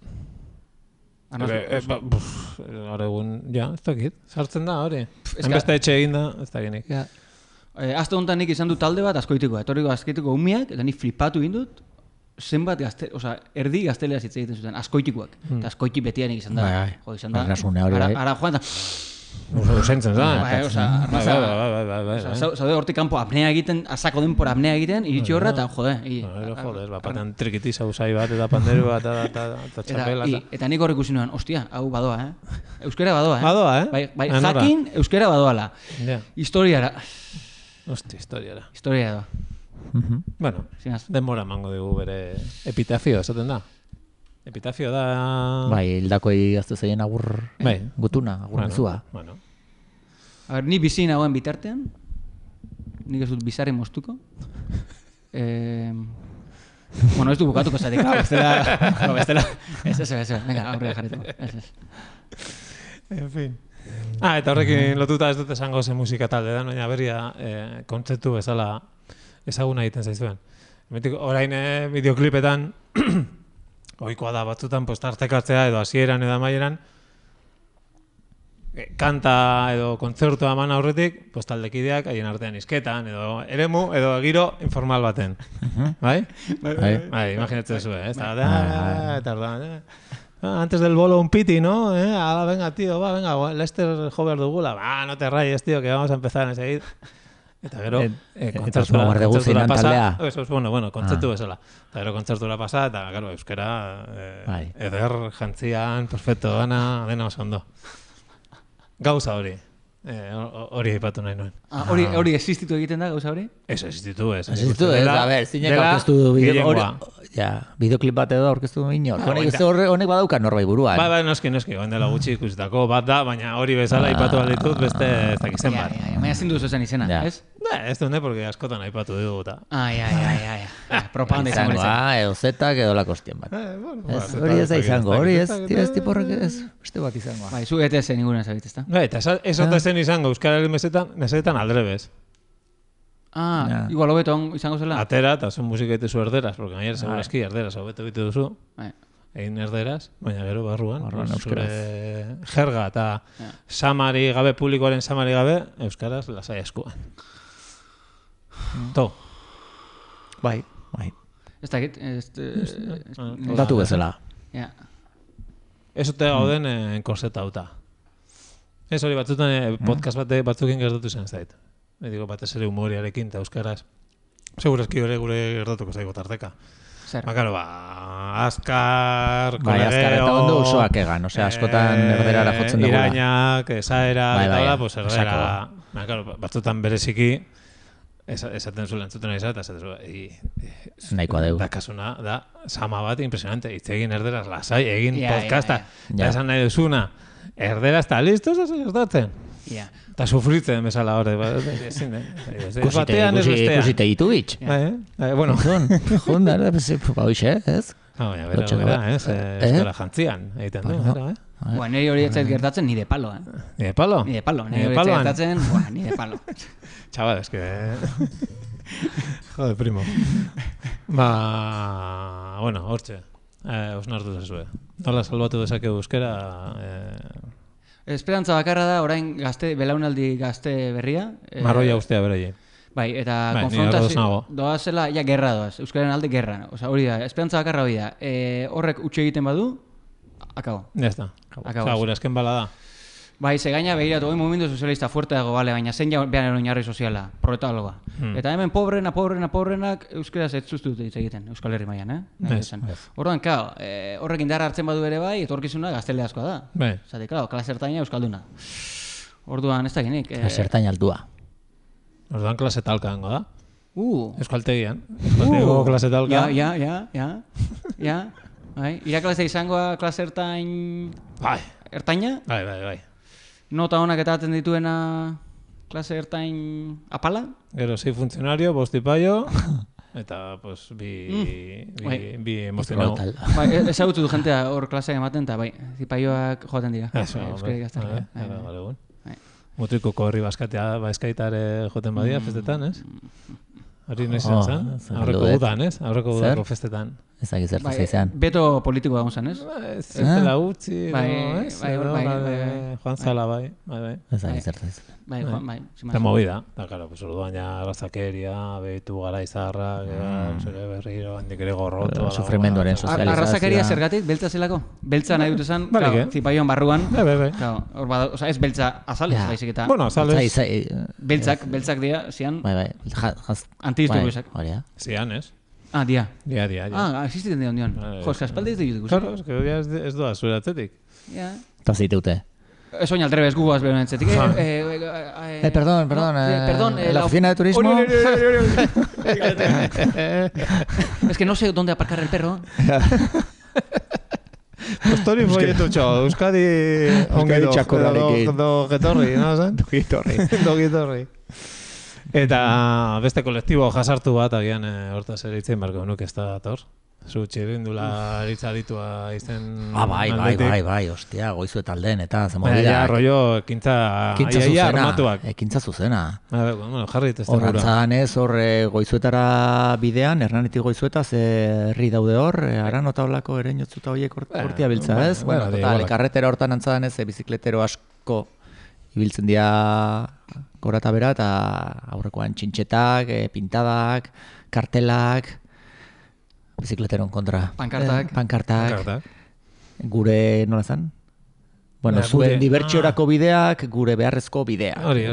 Hora egun, ez dakit, sartzen da, hori. Enbeste etxe egin da, ez dakinik. Azte honetan nik izan du talde bat askoitikoa, etorriko askoitiko umiak, eta nik flipatu egin dut, zenbat erdi gaztelea hitz egiten zuten, askoitikoak. Eta askoitik betianik izan da. Ara joan da... Usentzen da. Zaude hortik kanpo apnea egiten, azako denpora apnea egiten, iritsi horra eta jode. Batean trikiti zauzai bat eta panderu bat eta txapela. Eta nik horrek usi nuen, ostia, hau badoa, euskera badoa, Badoa, Bai, jakin euskera badoala. Historiara. Historiara. Historiara da. Bueno, denbora mango dugu bere epitafio, esaten da. Epitafio da... Bai, hildakoi gaztu zeien agur gutuna, agur mezua. A ver, ni bizi nagoen bitartean, nik ez dut bizarri moztuko. Bueno, ez du bukatuko zatik, bestela. Ez, venga, aurrera jarretu. En fin. Eta horrekin lotuta ez dut esango ze musika talde da, baina berria kontzeptu bezala ezaguna egiten zaizuen. Orain bideoklipetan ohikoa da batzutan tartekatzea edo hasieran edo amaieran kanta edo kontzertua eman aurretik taldekideak haien artean hizketan edo eremu edo giro informal baten. Bai? Bai, imaginatzen zuen, antes del bolo un piti, ¿no? Venga, tío, venga, Lester Jover dugula. No te rayes, tío, que vamos a empezar enseguida. Eta gero, kontzertura pasa, kontzertu bezala. Eta gero kontzertura pasa, eta gero, euskera, eder, jantzian, perfecto, dena oso ondo. Gauza hori. Hori aipatu nahi nuen. Hori existitu egiten da, gauza hori? Ez existitu, ez. Existitu, a ver, zinek aurkeztu du bideoklip bat edo aurkeztu du inor. Honek badauka norbait buruan. Bai, noski, oen dela gutxi ikusitako bat da, baina hori bezala aipatu alditut beste ez dakizen bat. Baina zindu zuzen izena, ez? Ez dune, porque askotan aipatu dugu eta... Propaganda izango izan. Edo zetak edo lakostien bat. Hori ez da izango, hori ez tiporrek ez beste bat izango. Bai, zu ETS ninguna zabit, ez da? Eta ez ote zen izango euskararen mesetan aldrebez. Igual hobeto izango zela. Atera eta zen musika itezu erderaz, porque gainera segurazki erderaz hobeto bite duzu. Egin erderaz, baina gero barruan. Zure jerga eta samari gabe, publikoaren samari gabe, euskaraz lasai eskuan. To. Bai. Ez dakit. Datu bezala. Ez ote gauden enkorseta hauta. Ez hori batzutan podcast batzukin gertatu zen zait. Digo, batez ere humoriarekin eta euskaraz. Segurazki gure gertatuko zaigo tarteka. Zer? Bakaro, azkar, kolegeo... Azkar eta ondo usoak egan, askotan erderara jotzen dugula. Irainak, esaera, eta da, pues erdera... Batzutan bereziki, esaten zuen entzuten izan, eta esaten zuen... Nahikoa dugu. Dakasuna, da, sama bat impresionante. Itz egin erderaz, lasai, egin podcasta. Eta esan nahi duzuna, erderaz eta listo, ez gertatzen. Eta sufritzen bezala hori. Ikusite YouTube bitx. Bueno. Junda, ez? Baina, bera, euskara jantzian, egiten du, bera, Bueno, nire hori etzait gertatzen nire palo, Nire palo? Nire palo, nire hori etzait gertatzen, nire palo. Chaval, es que... Joder, primo. Bueno, hortxe. Osnartu zezue. Nola salbatu dezake euskera... Esperantza bakarra da, orain belaunaldi gazte berria. Marroia ustea beraiei. Bai, eta konfrontazio doazela, gerra doaz. Euskaren alde gerra. Osa, hori da, esperantza bakarra hori da. Horrek utxe egiten badu, akabo. Ya está. Gure azken bala da. Bai, ze gaina behiratu, hori momentu sozialista fuerte dago, bale, baina zein behar oinarri soziala, proletaloa. Eta hemen pobrenak euskaraz ez zuztu dut egiten, Euskal Herri mailan, Orduan, horrek indarra hartzen badu ere bai, etorkizuna gaztele askoa da. Zate, klase ertaina euskalduna. Orduan, ez dakinik. Klase ertaina aldua. Orduan, klase talka hango da. Euskaltegian. Euskaltego klase talka. Ja. Iraklase izangoa klase ertain... Ertaina? Bai. Nota honak eta aten dituena klase ertain apala? Gero, 6 funtzionario, 5 tipaio, eta, pues, bi emozionau. Ezagutu du jentea hor klaseak ematen, eta bai, tipaioak joaten dira. Euskari gaztara. Mutriko korri baskatea, baizkaitare joten badia, festetan, ez? Hori noiz zen? Aurreko gudan, ez? Aurreko gudako festetan. Ezagik zertu zeizan. Beto politikoa egon zen, ez? Zertela utzi, ez? Joan Zala, bai. Ezagik zertu zeizan. Bai. Eta movida. Eta, karo, orduan ja razakeria, behitu gara izarra, berriro, handik ere gorroto. Sufrimenduaren sozializazioa. Arrazakeria zergatik, beltza zelako? Beltza nahi dut esan, zipaioan barruan. Bai. Ez beltza azalez, baizik eta... Bueno, azalez. Beltzak dira, zian... Bai. Antidiztuguizak. Zian, ez? Dia. Dia. Existiten dira ondion. Jo, espaldez dut ikusi. Claro, es que ez doa zure atzetik. Ja. Eta ziteute. Ez oin aldrebez guguaz behar entzetik. Perdón. La oficina de turismo. Es que no sé dónde aparcar el perro. Postori proiektu txo, Euskadi txakorrarekin. Dogetorri, no? Dogetorri. Eta beste kolektibo jasartu bat, agian hortaz ere itzen barko nuke ez da dator. Zu txirrindula eritza ditua izen aldetik. Bai, ostia, Goizue taldeen eta zemobidak. Ja, rollo, ekintza armatuak. Ekintza zuzena. Bueno, jarri testen gura. Horrantzan ez, Goizuetara bidean, Hernanetik Goizueta, ze herri daude hor, aran otaulako ere inotzuta horiek hortia biltza, ez? Bueno, total, karretera hortan antzadan ez, bizikletero asko ibiltzen dira gora eta bera, eta aurrekoan txintxetak, pintadak, kartelak, bizikleteron kontra. Pankartak. Gure, nola zan? Bueno, zuen dibertsiorako bideak, gure beharrezko bidea. Hori.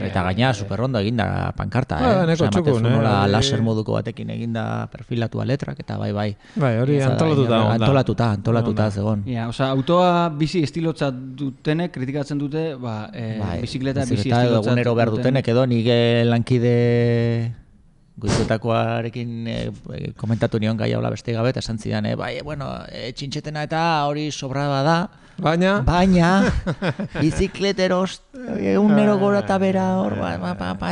Eta gaina, superrondo eginda pankarta. Neko txukun. Nola laser moduko batekin eginda perfilatua letrak, eta bai. Bai, hori antolatuta zegoen. Osa, autoa bizi estilotza dutenek, kritikatzen dute, bizikleta bizi estilotza dutenek. Egunero behar dutenek, edo nire lankide Goizuetakoarekin komentatu nion gai haula beste gabe, eta esan zidan, txintxetena eta hori sobraba da, baina bizikleteros egunero gora eta bera hor,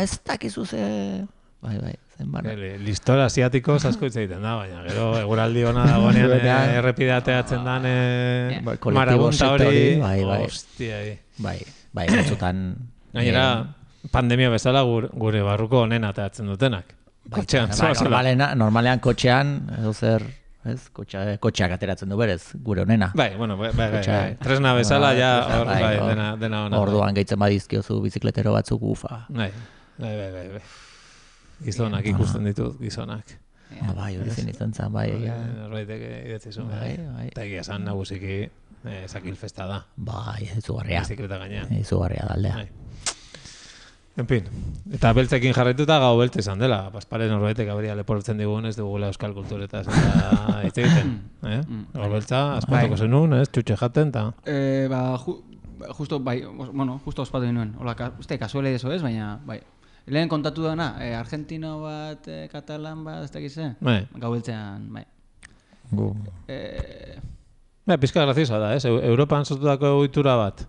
ez dakizu ze... Bai, zen barra. Listora asiatikos asko hitz egiten da, baina gero eguraldi hona dagoenean errepideateatzen dan marabunta hori, hostia. Bai, batzutan... Gainera, pandemia bezala gure barruko onena ateatzen dutenak. Normalean kotxean, edo zer, kotxeak ateratzen du berez, gure honena. Bai, tresna bezala, dena hona. Orduan gehitzen badizkiozu bizikletero batzuk ufa. Bai. Gizonak ikusten ditut, gizonak. Bai, hori zen izan zen, bai. Norbaitek idatzizun, bai. Eta egia zan nagusiki zakilfesta da. Bai, izugarria. Bizikleta gainean. Izugarria daldea. En fin, eta beltzekin jarraituta gau belte izan dela. Paspare norbaitek aberia leportzen digun ez dugula euskal kulturetaz eta hitz egiten. Gau beltza, aspatuko zenun, txutxe jaten, eta... Justo ospatu dinuen. Uste, kasuele eso ez, baina... Lehen kontatu dana, argentino bat, katalan bat, ez dakize? Gau beltzean, bai. Pizka graziosa da, Europan sortutako ohitura bat.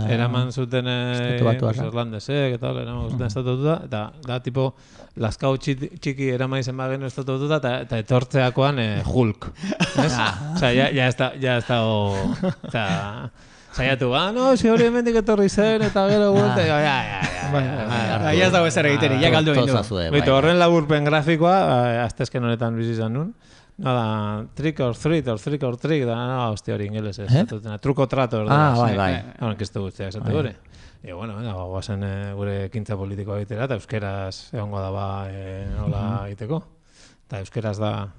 eraman zuten Irlandesek eta eraman zuten estatututa, eta da tipo laskau txiki eraman izen bagen estatututa, eta etortzeakoan Hulk. Osa, ya ez dago... Zaiatu, no, si hori hemendik etorri zen, eta gero gulte, ya ez dago ezer egiteri, ya galdu egin du. Bito, horren laburpen grafikoa, aztezken honetan bizizan nun, nada, trick or treat, da, hostia hori ingeles ez, truko trato, bai. Hauren kiztu guztia esate gure. E, bueno, guazen gure ekintza politikoa egitera, eta euskeraz egongo da hola egiteko. Eta euskeraz da,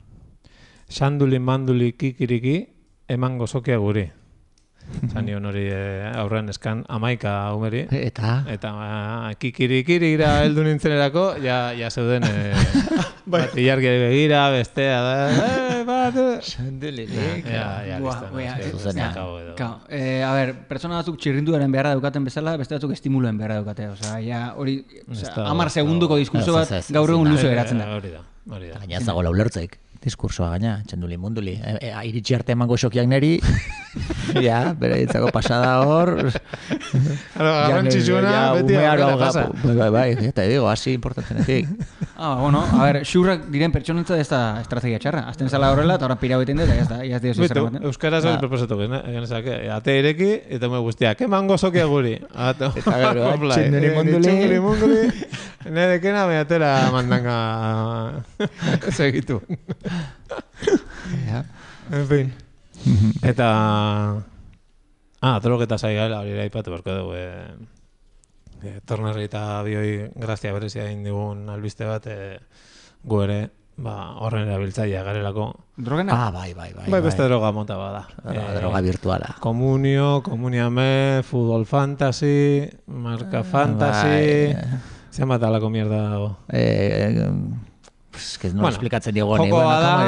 xanduli, manduli, kikiriki, eman gozokia guri. Zanion hori aurrean eskan 11 umeri. Eta kikirikirira heldu nintzenerako, ja zeuden bat ilargi begira, bestea da, bat... Xandulirik. A ver, pertsona batzuk txirrinduaren beharra daukaten bezala, beste batzuk estimuluen beharra daukate. Osea, ja hori 10 segunduko diskurso bat gaur egun luze geratzen da. Hori da. Gaina ez dago laulertzeik. Diskursoa gaina, txanduli munduli. Iritsi arte emango xokiak neri, ja, bera ditzako pasada hor... Garrantzitsuna, beti aurrera pasa. Bai, eta digo, hasi importantenetik. Bueno, a ver, xurrak diren pertsonentza ez da estrategia txarra. Azten zala horrela, eta horren pirau egiten dut, eta ya ez dira zer ematen. Euskaraz hori proposatu genezak, ate ireki, eta me guztiak, emango xokia guri. Eta gero, txanduli munduli. Nerekena me atera mandanga segitu. En fin. Eta drogeta zaigala hori aipatu barko dugu. Tornarri eta bioi grazia berezia egin digun albiste bat gu ere horren erabiltzailea garelako. Drogena? Bai. Beste droga mota bada. Droga virtuala. Komuniame, futbol fantasy, marca fantasy... Zenbat alako mierda dago? Es que no explikatzen diego ni. Joko da,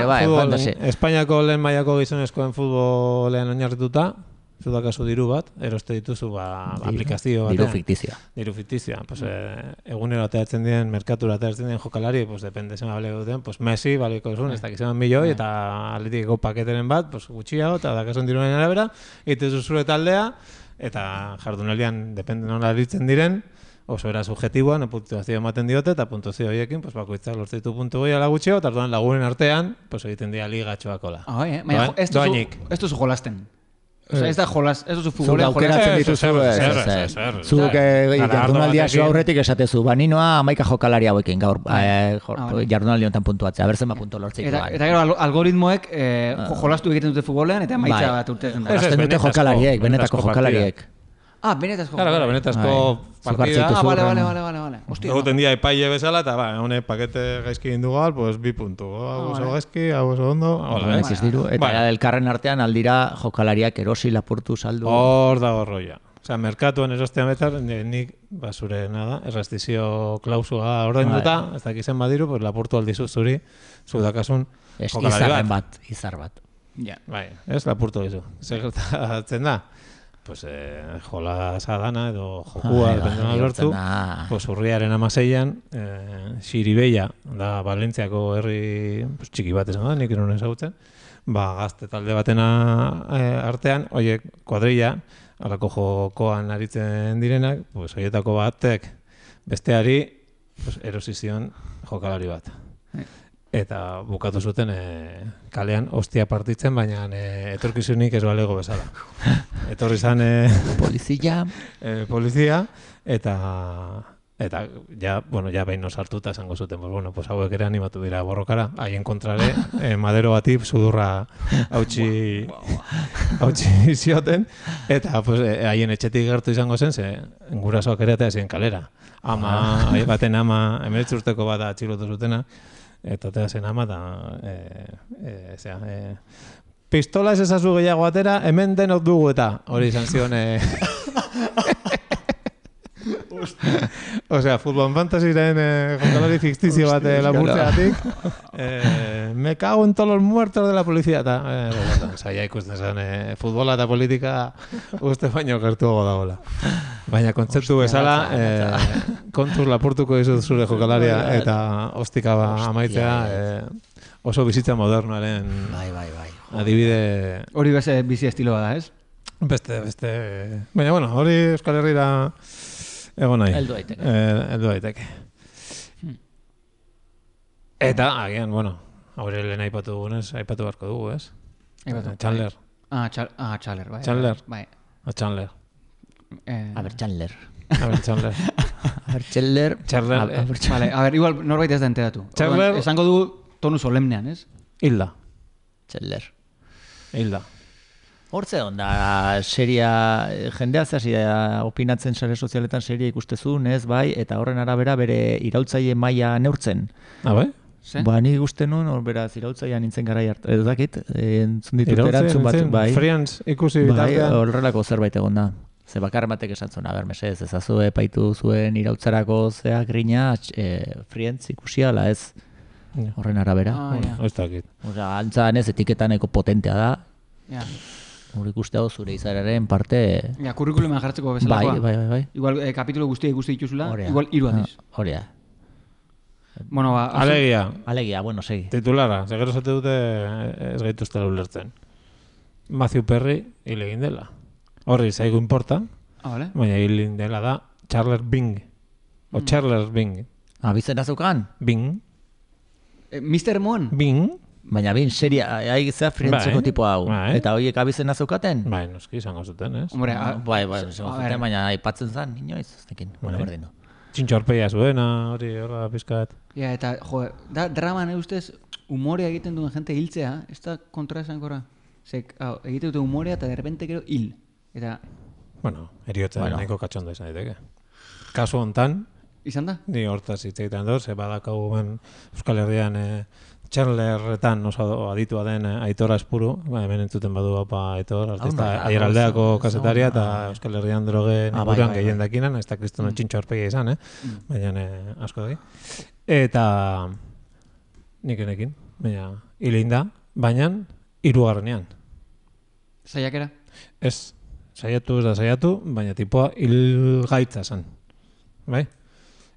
Espainiako lehen mailako gizonezkoen futbolean oinarrituta, zudakazu diru bat, eroste dituzu aplikazio bat. Diru fiktizioa. Pues, egunero ateratzen diren, merkatura ateratzen diren jokalari, pues depende zema baleko duten, pues Messi baliko zuen, ez dakizeman milioi, eta atletikeko paketeren bat, pues gutxiago, eta dakasun diruaren arabera, egitezu zure taldea, eta jardunaldian, depende nola aritzen diren, oso era subjetiboan, puntuazio ematen diote, eta puntuazio horiekin, pues, bakoitzak lortzen ditu puntu goi ala gutxeo, eta orduan lagunen artean, pues, egiten dira ligatxoakola. Ez duzu jolasten. Osea, ez da jolas, ez duzu futbolean jolasten dituzu. Zuk jardunaldia zu aurretik esatezu, ninoa 11 jokalari hauekin gaur jardunaldi honetan puntuatzea, berzen puntu lortzik. Eta gero algoritmoek jolastu egiten dute futbolean, eta emaitza bat urtezen da. Azten dute jokalariek, benetako jokalariek. Benetazko. Claro, benetazko partida. Vale. Egoten dia epaile bezala, eta hone pakete gaizki gindu gal, pues 2 puntu. Hau oso gaizki, hau oso ondo. Eta elkarren artean aldira jokalariak erosi lapurtu saldu. Hor dago roia. Osea, merkatuan erostean betar, nik basure nada, errestizio klausua ordainduta, ez dakizen badiru, pues lapurtu aldizu zuri, zudakasun jokalari bat. Izar bat. Bai, ez lapurtu dizu. Zer gertatzen da? Pues jolasa dana edo jokua dependena lortu, pues urriaren 16an Xiribeia da Valentziako herri txiki bat esan da, nik eron ezagutzen, gazte talde batena artean, oiek kuadrilla, alako jokoan aritzen direnak, pues oietako batek besteari erosizion jokalari bat. Eta bukatu zuten kalean ostia partitzen, baina etorkizunik ez balego bezala. Etorri zan polizia, eta ja behin sartuta esango zuten, pues hauek ere animatu dira borrokara, haien kontrare, madero bati sudurra hautsi zioten, eta haien etxetik gertu izango zen, ze gurasoak ere eta ezien kalera. Baten ama, 19 urteko bat atxilotu zutena, eta te zen ama da pistola ez ezazu gehiago atera, hemen denok dugu eta hori izan zion osea, futbol fantasiren jokalari fiktizio bat lapurtzeatik me cago en todos los muertos de la policía eta zaila ikusten zen futbola eta politika uste baino gertuago dagoela. Baina kontzeptu bezala kontuz lapurtuko dizut zure jokalaria eta ostika amaitzea oso bizitza modernoaren adibide... Hori bizi estiloa da, ez? Beste. Baina, bueno, hori Euskal Herrira egon nahi. Heldu daiteke. Eta, agian, bueno, hori lehen aipatu beharko dugu, ez? Chandler. Chandler, bai. Chandler. Bai. Chandler. Chandler. Vale, a ver, igual norbait ez da enteratu. Chandler. Esango dugu tonu solemnean, ez? Hilda. Chandler. Hilda. Hortze onda, seria, jendea zehazia opinatzen sare sozialetan seria ikustezun, ez, bai, eta horren arabera bere iraultzaile maila neurtzen. Bai? Ba, ni ikusten nuen, beraz, iraultzaia nintzen garai hartu. Ez dakit, entzun ditut erantzun bat, bai. Friends ikusi bitartean. Bai, horrelako zerbait egon da. Ze bakarren batek esan zuen, mesez, ezazue paitu zuen irautzarako zeak grina, Friends ikusi ala, ez. Horren arabera. Ez dakit. Antzan ez, etiketaneko potentea da. Ja. Hor ikuste hau zure izararen parte... Ja, kurrikulumean jartzeko bezalakoa. Bai. Igual, kapitulo guztia ikusti dituzula, igual 3 aldiz. Hori da. Bueno, ba... Alegia, bueno, segi. Titulara, segero zate dute ez gaituztela ulertzen. Matthew Perry hil egin dela. Horri zaigu importa, vale. Baina hil egin dela da Charles Bing. O Charles Bing. Bizena zeukan? Bing. Mr. Moon? Bing. Baina bin, seria, zea frientzeko tipo hau. Eta horiek abizena zeukaten? Bai, noski, izango zuten, ez? Bai, zuten, baina aipatzen zen, inoiz, zekin, bueno, berdin du. Txintxorpeia zuena, hori, horra pizkat. Ja, eta, draman ustez, umorea egiten duen jente hiltzea, ez da kontra esankorra. Egiten dute umorea eta derrepente gero hil. Eta... Bueno, eriotza nahiko katxondo izan daiteke. Kasu hontan... Izan da? Ni hortaz hitz egiten dut, ze badakagu ben Euskal Herrian Chandlerretan oso aditua den Aitor Aspuru, hemen entzuten badu Aitor, artista Aieraldeako kasetaria eta Euskal Herrian drogen inguruan gehien dakinan, ez da kristono txintxo horpegia izan, baina asko dagi. Eta nik enekin, baina hilein da, baina 3. Saiakera? Ez, saiatu, baina tipoa hilgaitza zen, bai?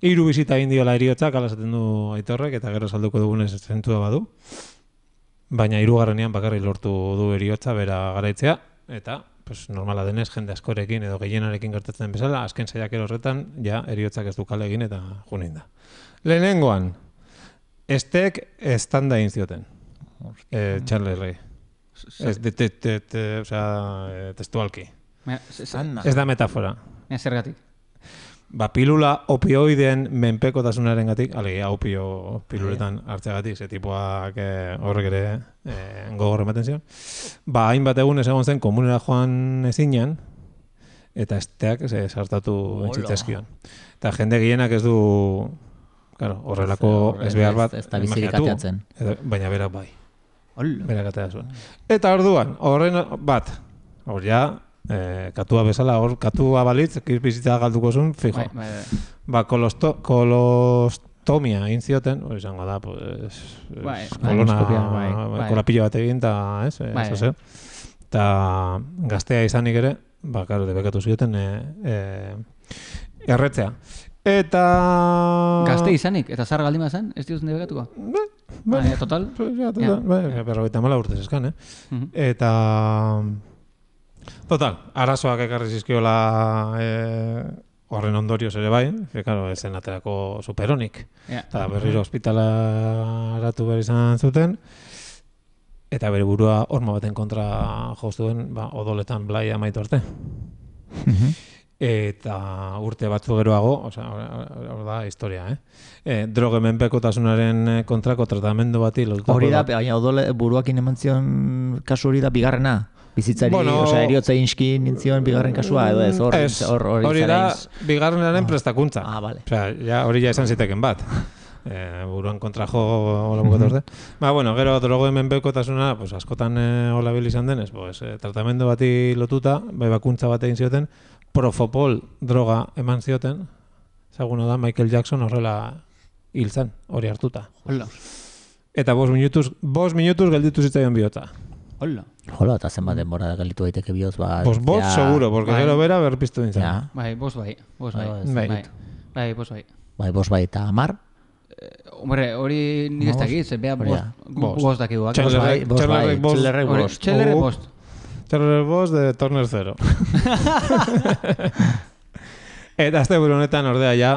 3 bizita egin diola eriotzak, ala esaten du Aitorrek, eta gero salduko dugunez zentua badu. Baina 3. bakarrik lortu du eriotza bera garaitzea, eta normala denez jende askorekin edo gehienarekin gertatzen bezala, azken saiakera horretan, ja eriotzak ez du kale egin eta junin da. Lehenengoan, estek estanda egin zioten, Charles Rey. Testualki. Ez da metafora. Zergatik. Pilula opioideen menpekotasunaren gatik, alegia opio piluletan hartzeagatik, ze tipuak horrek ere gogor ematen zion. Hainbat egun ez egon zen komunera joan ezinean, eta esteak sartatu entzitzaizkion. Eta jende gehienak ez du, horrelako ez behar bat, ez da bizirik ateatzen. Baina berak bai. Berak atea zuen. Eta orduan, horren bat, hor ja, katua bezala, hor katua balitz, bizitza galduko zuen, fijo. Kolostomia egin zioten, hori izango da, kolapillo bat egin, eta gaztea izanik ere, debekatu zioten erretzea. Eta... Gazte izanik, eta zar galdima zen, ez diozen debekatuko? Total? Berrogeita 4 urtez eskan, Eta... Total, arazoak ekarri zizkiola horren ondorioz ere bai, ez zen aterako superonik. Eta berriro ospitalaratu behar izan zuten, eta bere burua horma baten kontra joztuen odoletan blai amaitu arte. Eta urte batzu geroago, hor da historia, droge menpekotasunaren kontrako tratamendu bati lotutako. Hori da, baina odole buruakin eman zion kasu hori da bigarrena. Bizitzari, eriotza inski nintzion bigarren kasua, edo ez, hori da bigarrenaren prestakuntza. Bale. Hori ja esan ziteken bat. Buruan kontra jo hola bukatu arte. Gero drogoen menpekotasuna, askotan hola bil izan denez, tratamendu bati lotuta, bakuntza bat egin zioten, Propofol droga eman zioten, zaguna da Michael Jackson horrela hil zen, hori hartuta. Eta 5 minutuz gelditu zitzaion bihotza. Hola, eta zenbat denbora gelditu daiteke bihotz bat. 5 seguro, porque gero bera berpiztu dintzen. Bai, 5 bai. 5 bai, eta 10? Hombre, hori nik ez dakit, zen beha 5 dakigu. Txellerrek 5. Terror Boss de Turner 0. Eta azte buru honetan ordea ja,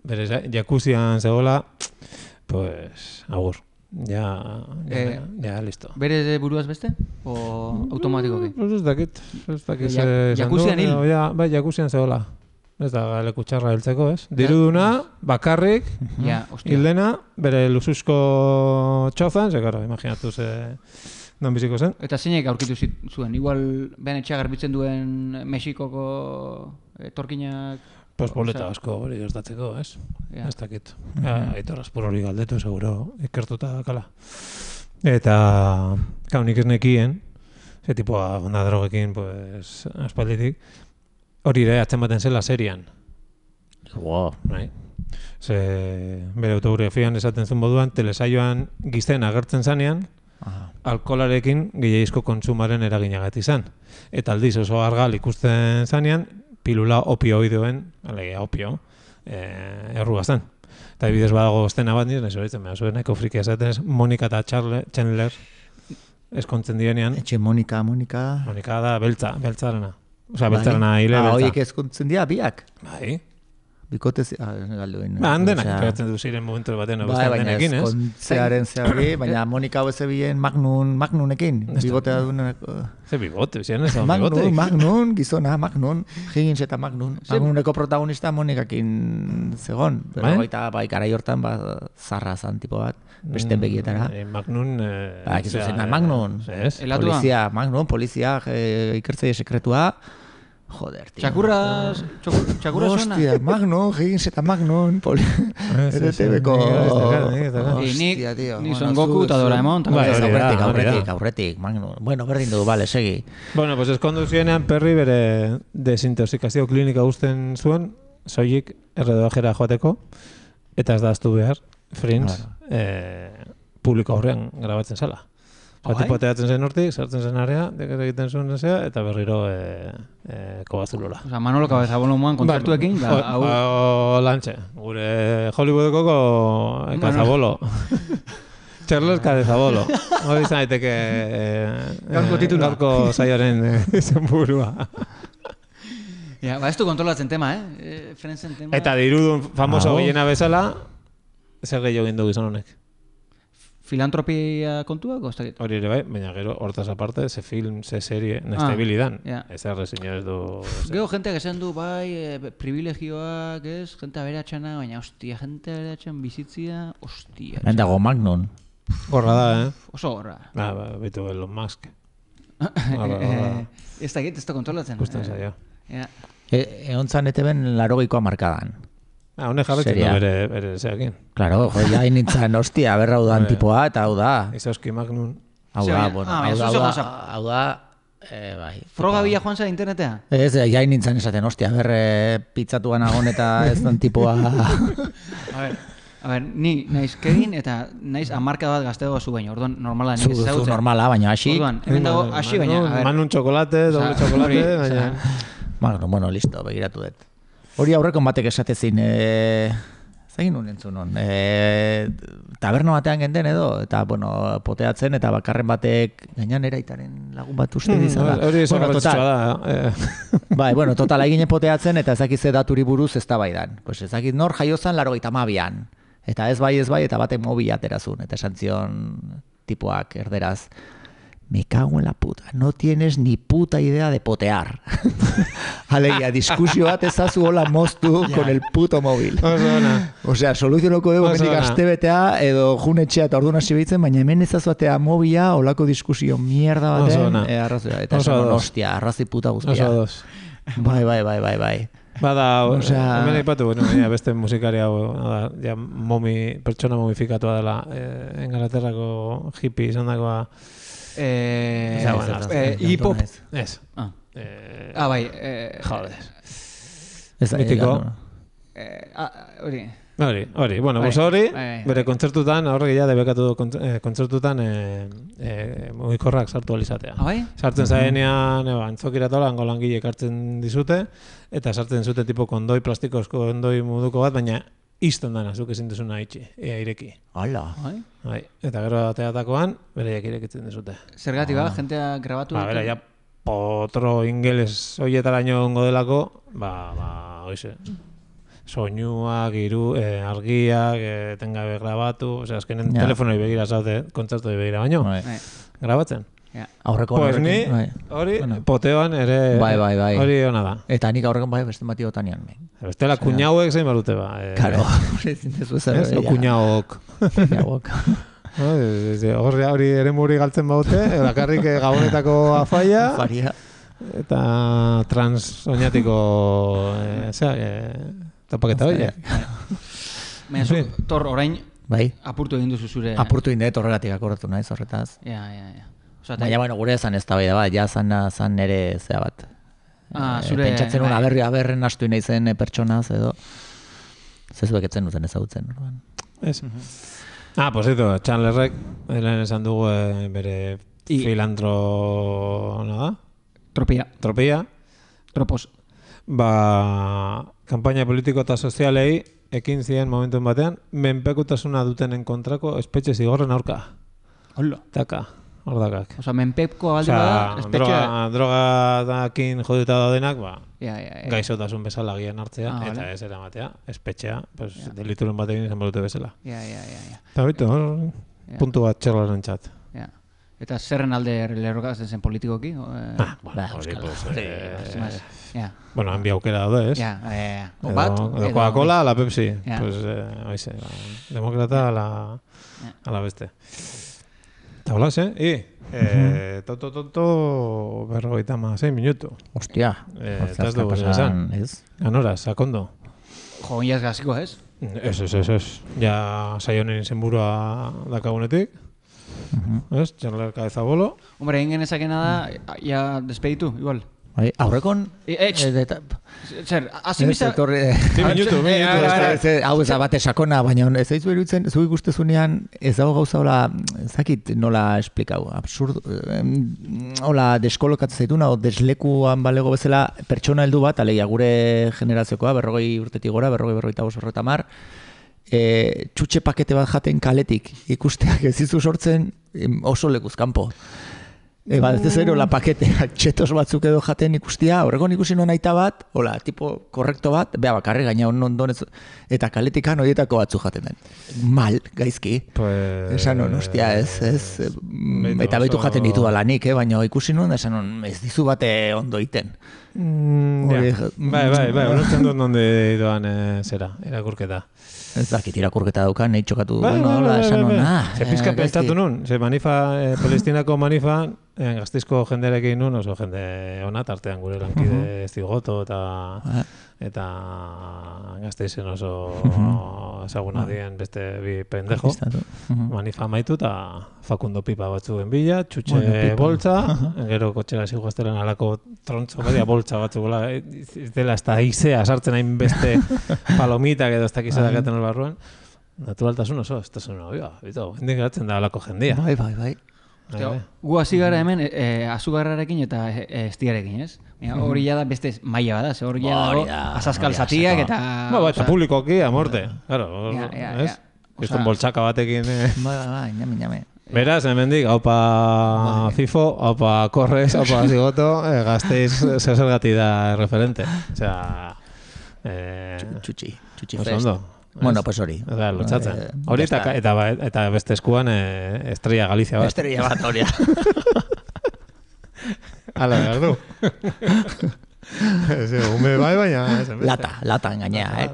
bere jakuzian zegoela, pues, agur. Ja, listo. Bere buruaz beste? O automatikoki? Pues ez dakit. Jakuzian hil? Bai, jakuzian zegoela. Ez da leku txarra heltzeko, ez? Diruduna, bakarrik, hildena, bere luzuzko txofan, zekara, imaginatu non biziko zen. Eta zeinek aurkitu zuen? Igual, behan etxea garbitzen duen Mexikoko etorkinak... Pues boleta asko hori gertatzeko, ez? Ez dakit. Aitor Aspur hori galdetu, seguro, ikertuta dakala. Eta, nik ez nekien, ze tipua onda drogekin, pues, aspalditik, hori ere atzen zela serian. Wow. Ze, bere autobiografian esaten zuen moduan, telesaioan gizten agertzen zanean, alkoholarekin gehiagizko kontsumaren eraginagatik izan. Eta aldiz oso argal ikusten zanean, pilula opioidoen, alegia opio, errugazten. Eta bidez badago estena bat nire, horitzen behar zuen, eko friki esaten ez, Monika eta Chandler eskontzen direnean. Etxe Monika. Monika da beltzarena. Osa, beltzarena hile beltza. Horiek eskontzen dira, biak? Bai. Bikotez, galduen. Handenak, pegatzen du ziren momentu batean, denekin, ez? Eskontzearen zehari, baina Monika hau ezebien Magnunekin, bigotea duenak. Ze bigote, ziren ez da bigote? Magnun, gizona, Magnun, Higgins eta Magnun. Magnuneko protagonista Monikakin zegon. Pero baita, garai hortan, zarra zan tipo bat, besten begietara. Magnun... Magnun, polizia, Magnun, polizia, ikertzaile sekretua, joder, tío. Txakurra zona? Hostia, Magnum, Higgins eta Magnum, RTBko... Ni Son Goku eta Doraemon. Aurretik, Magnum. Bueno, berdin du, vale, segi. Bueno, pues eskondu zienean Perry bere desintoxikazio klinika guzten zuen, soilik erredojera joateko, eta ez da aztu behar, Friends, publiko aurrean grabatzen zela. Tipo teatzen zen hortik, sartzen zen area, dekera egiten zuen zea, eta berriro kobazulola. Osa, Manolo Cabezabolo moan kontzertuekin, lantxe, gure Hollywoodeko Cabezabolo. Charles Cabezabolo. Hori izan daiteke gaurko saioaren izen burua. Ez du kontrolatzen tema, Friendsen tema. Eta dirudun famoso gehiena bezala, zer gehiago gindu gizon honek. Filantropia kontuak, oztakit? Hori ere bai, baina gero, hortaz aparte, ze film, ze serie, nestabilidan. Ez errezinio ez du... Gero, jenteak esan du, bai, privilegioak, ez? Jente aberatxana, baina, hostia, jente aberatxan bizitzia, hostia. Dago Magnum. Gorra da, Oso gorra. Bitu Elon Musk. Ez dakit, ez da kontrolatzen. Gusten zaio. Egon zan eteben 80koa markadan. Honek jarretzen da bere zeakin. Claro, ja nintzen, hostia, berra hau da antipoa, eta hau da. Izauski Magnum. Hau da, hau da, bai. Froga bila joan zara internetea? Ez, ja nintzen esaten, hostia, berre pitzatuan agon eta ez da antipoa. A ber, ni naiz Kevin eta naiz amarka bat gaztego zu baino, orduan normala nik ez zautzen. Zu normala, baina hasi. Orduan, hemen dago hasi baina. Manun txokolate, doble txokolate, baina... Magnum, bueno, listo, begiratu dut. Hori aurrekon batek esatezin, zegin nun entzun hon, taberno batean genden edo, eta, bueno, poteatzen, eta bakarren batek gainan eraitaren lagun bat uste dizala. Hori esan garrantzitsua da. Bai, bueno, total, egine poteatzen, eta ezakize daturi buruz ez da baidan. Pues ezakit nor jaiozan 82an. Eta ez bai, eta batek mobila aterazun, eta esan zion tipoak erderaz. Me cago en la puta, no tienes ni puta idea de potear. Alegia, diskusio bat ezazu hola moztu con el puto móvil. O sea, soluzionoko dugu mendik astebetea edo junetxea eta orduan hasi behitzen, baina hemen ezazuatea mobila holako diskusio mierda baten. Eta esan, hostia, arrazi puta guztia. Bai. Bada, hemen aipatu, beste musikari hau, pertsona momifikatua dela, Engalaterrako hippie izan dagoa, hip-hop. Ez. Bai. Joder. Mitiko. Hori. Bueno, hori, bere kontzertutan, horrek ja debekatu du kontzertutan mugikorrak sartu alizatea. Sartzen zaenean, antzokiratola, hango langileek hartzen dizute, eta sartzen zute tipo kondoi, plastikozko kondoi moduko bat, baina izten dana, zuk ezin duzuna ireki. Hala. Eta gero ateatakoan, bereiak irekitzen dizute. Zergatik jentea grabatu? Bera, ja, potro ingeles hoietaraino ongo delako, oize, soinuak, argiak, etengabe grabatu, azkenen telefonoi begira zaude, kontzertoi begira baino, grabatzen. Aurreko pues ni, hori, poteoan ere, hori hona da. Eta nik aurrekon beste mati botanean. Bestela, kuñauek zein barute ba. Karo, kuñauk. Hori ere muri galtzen baute, bakarrik gabonetako afaia. Faria. Eta transoñatiko, topaketa hori. Baina, Tor, orain, apurtu egin duzu zure... Apurtu egin dut horregatik akorratu naiz horretaz. Ja. Baina, gure esan ez da bai da bat, ja zan ere zea bat. Pentsatzen una aberren astu nahi zen pertsonaz edo. Zezuek etzen duten ezagutzen. Ez. Posito, Chandlerrek, lehen esan dugu bere filantro... ¿no da? Tropia. Tropos. Kampaina politiko eta sozialei ekin ziren momentuen batean, menpekutasuna dutenen kontrako espetxe zigorren aurka. Hola. Taka. Ordakak. Osa, menpeko alde bada, espetxea... Drogadakin joduta daudenak, gaixotasun bezala gian hartzea, eta ez eramatea, espetxea, delituren batekin izan balute bezala. Eta bitu, puntu bat txerlaren txat. Eta zerren alde lerrokatzen zen politikoki? Bueno, hanbi aukera daude, ez? Edo Coca-Cola, la Pepsi. Demokrata, ala beste. Eta hola, Toto 56 minutu. Hostia. Eta ez dugu esan. Ganora, sakondo. Jo, iaz gaziko, ez? Ez. Ja saionen izenburua dakagunetik. Ez, Chandler Cabeza Bolo. Hombre, egin genezakena da, ja despeditu, igual. Aurrekon... Zer, azimisa... 2 minutu. Hau ez abate sakona, baina ez daizu eruditzen, zu ikustezunean ez dago gauza hola, ezakit nola esplikau, absurdo, hola deskolokatzen zaituna, o deslekuan balego bezala pertsona heldu bat, alegia gure generaziokoa, 40 urtetik gora, 40 mar, txutxe pakete bat jaten kaletik ikusteak ez dizu sortzen oso lekuz kanpo. Ez zero la paketeak txetos batzuk edo jaten ikustia, horregon ikusi non aita bat, hola, tipo korrekto bat, beha bakarri gaina ondonez, eta kaletikan horietako batzu jaten den. Mal, gaizki. Esan non, hostia, ez, eta behitu jaten ditu alanik, baina ikusi non, esan non, ez dizu bate ondo iten. Bai, honetzen dut nonde doan zera, irakurketa. Ez dakit irakurketa daukan, nahi txokatu esan non, Ze pizka pentsatu nun, ze Palestinako manifan, gaztizko jendearekin nun, oso jende ona, tartean gure lankide Zigoto eta gazteizen oso ezaguna dien beste bi pendejo. Manifa maitu eta Facundo Pipa batzuen bila, txutxe boltza, gero kotxera ziguaztelen alako trontzo, badia boltza batzuk, ez dela ez da izea sartzen hain beste palomitak edo ez dakizera gaten barruan. Naturaltasun oso, ez da zuen hobioa, hendik geratzen da alako jendia. Bai. Gu hasi gara hemen azugarrarekin eta estiarekin, ez? Hori da beste maila bada, hori da asaskal zatiak eta... Eta publikoki, amorte, claro, ez? Kriston boltsaka batekin... Bai, ñame. Beraz, hemendik, haupa FIFO, haupa Corres, haupa Zigoto, gazteiz zergati da referente. Osea... Txutxi fest. Bueno, pues hori. Lotxatzen. Hori eta beste eskuan Estrella Galizia bat. Estrella bat, hori. Ala, behar du. Ume bai baina. Lata engainea,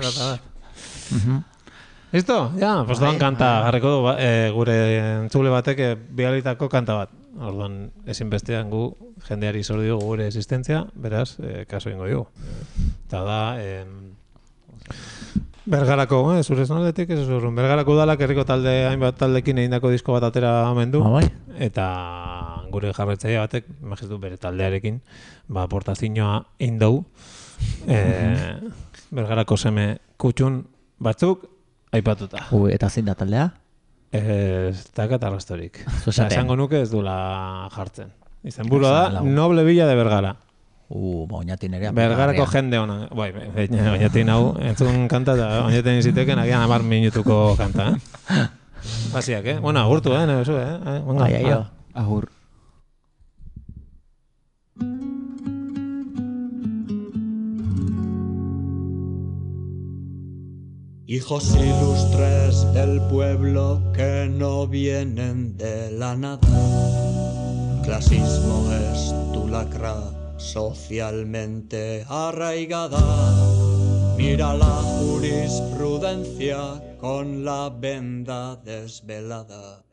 Listo? Ja, pues doan kanta jarriko du gure entzule batek bihalitako kanta bat. Orduan, ezinbestean gu jendeari zor dugu gure existentzia, beraz, kaso ingo dugu. Eta da... Bergarako, zure zonaldetik, ez zurrun. Bergarako udalak herriko talde, hainbat taldekin egindako disko bat atera hemen du. Eta gure jarretzaia batek, imagizu bere taldearekin, aportazioa indau. Bergarako seme kutxun batzuk aipatuta. Eta zein da taldea? Ez dakat arrastorik. Esango nuke ez dula jartzen. Izenburua da, Noble Villa de Bergara. Oñatin ere Bergarako jende ona. Oñatin hau, entzun kanta eta oñatin iziteken agian 10 minutuko kanta, Basiak, Bueno, agurtu, Nebezu, Agur. Hijos ilustres del pueblo que no vienen de la nada. Clasismo es tu lacra socialmente arraigada. Mira la jurisprudencia con la venda desvelada.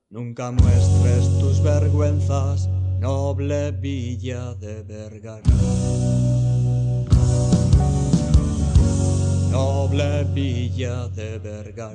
Nunca muestres tus vergüenzas, noble villa de Vergara. Noble villa de Vergara.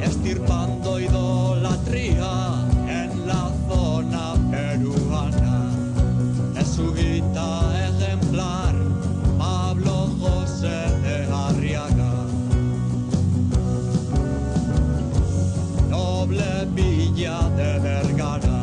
Estirpando idolatría en la zona peruana. Es su guita ejemplar Pablo José de Arriaga. Noble villa de Vergara.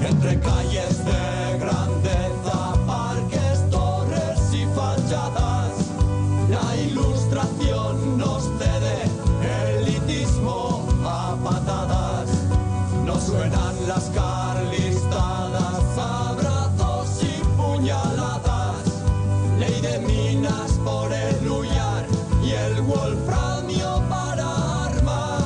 Entre calles de grandeza, parques, torres y fachadas, la ilustración nos cede elitismo a patadas. No suenan las carlistadas, abrazos y puñaladas, ley de minas por el Luyar y el wolframio para armas.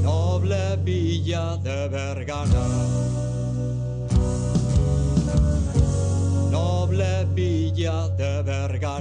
Noble villa de Vergara. Noble villa de Vergara.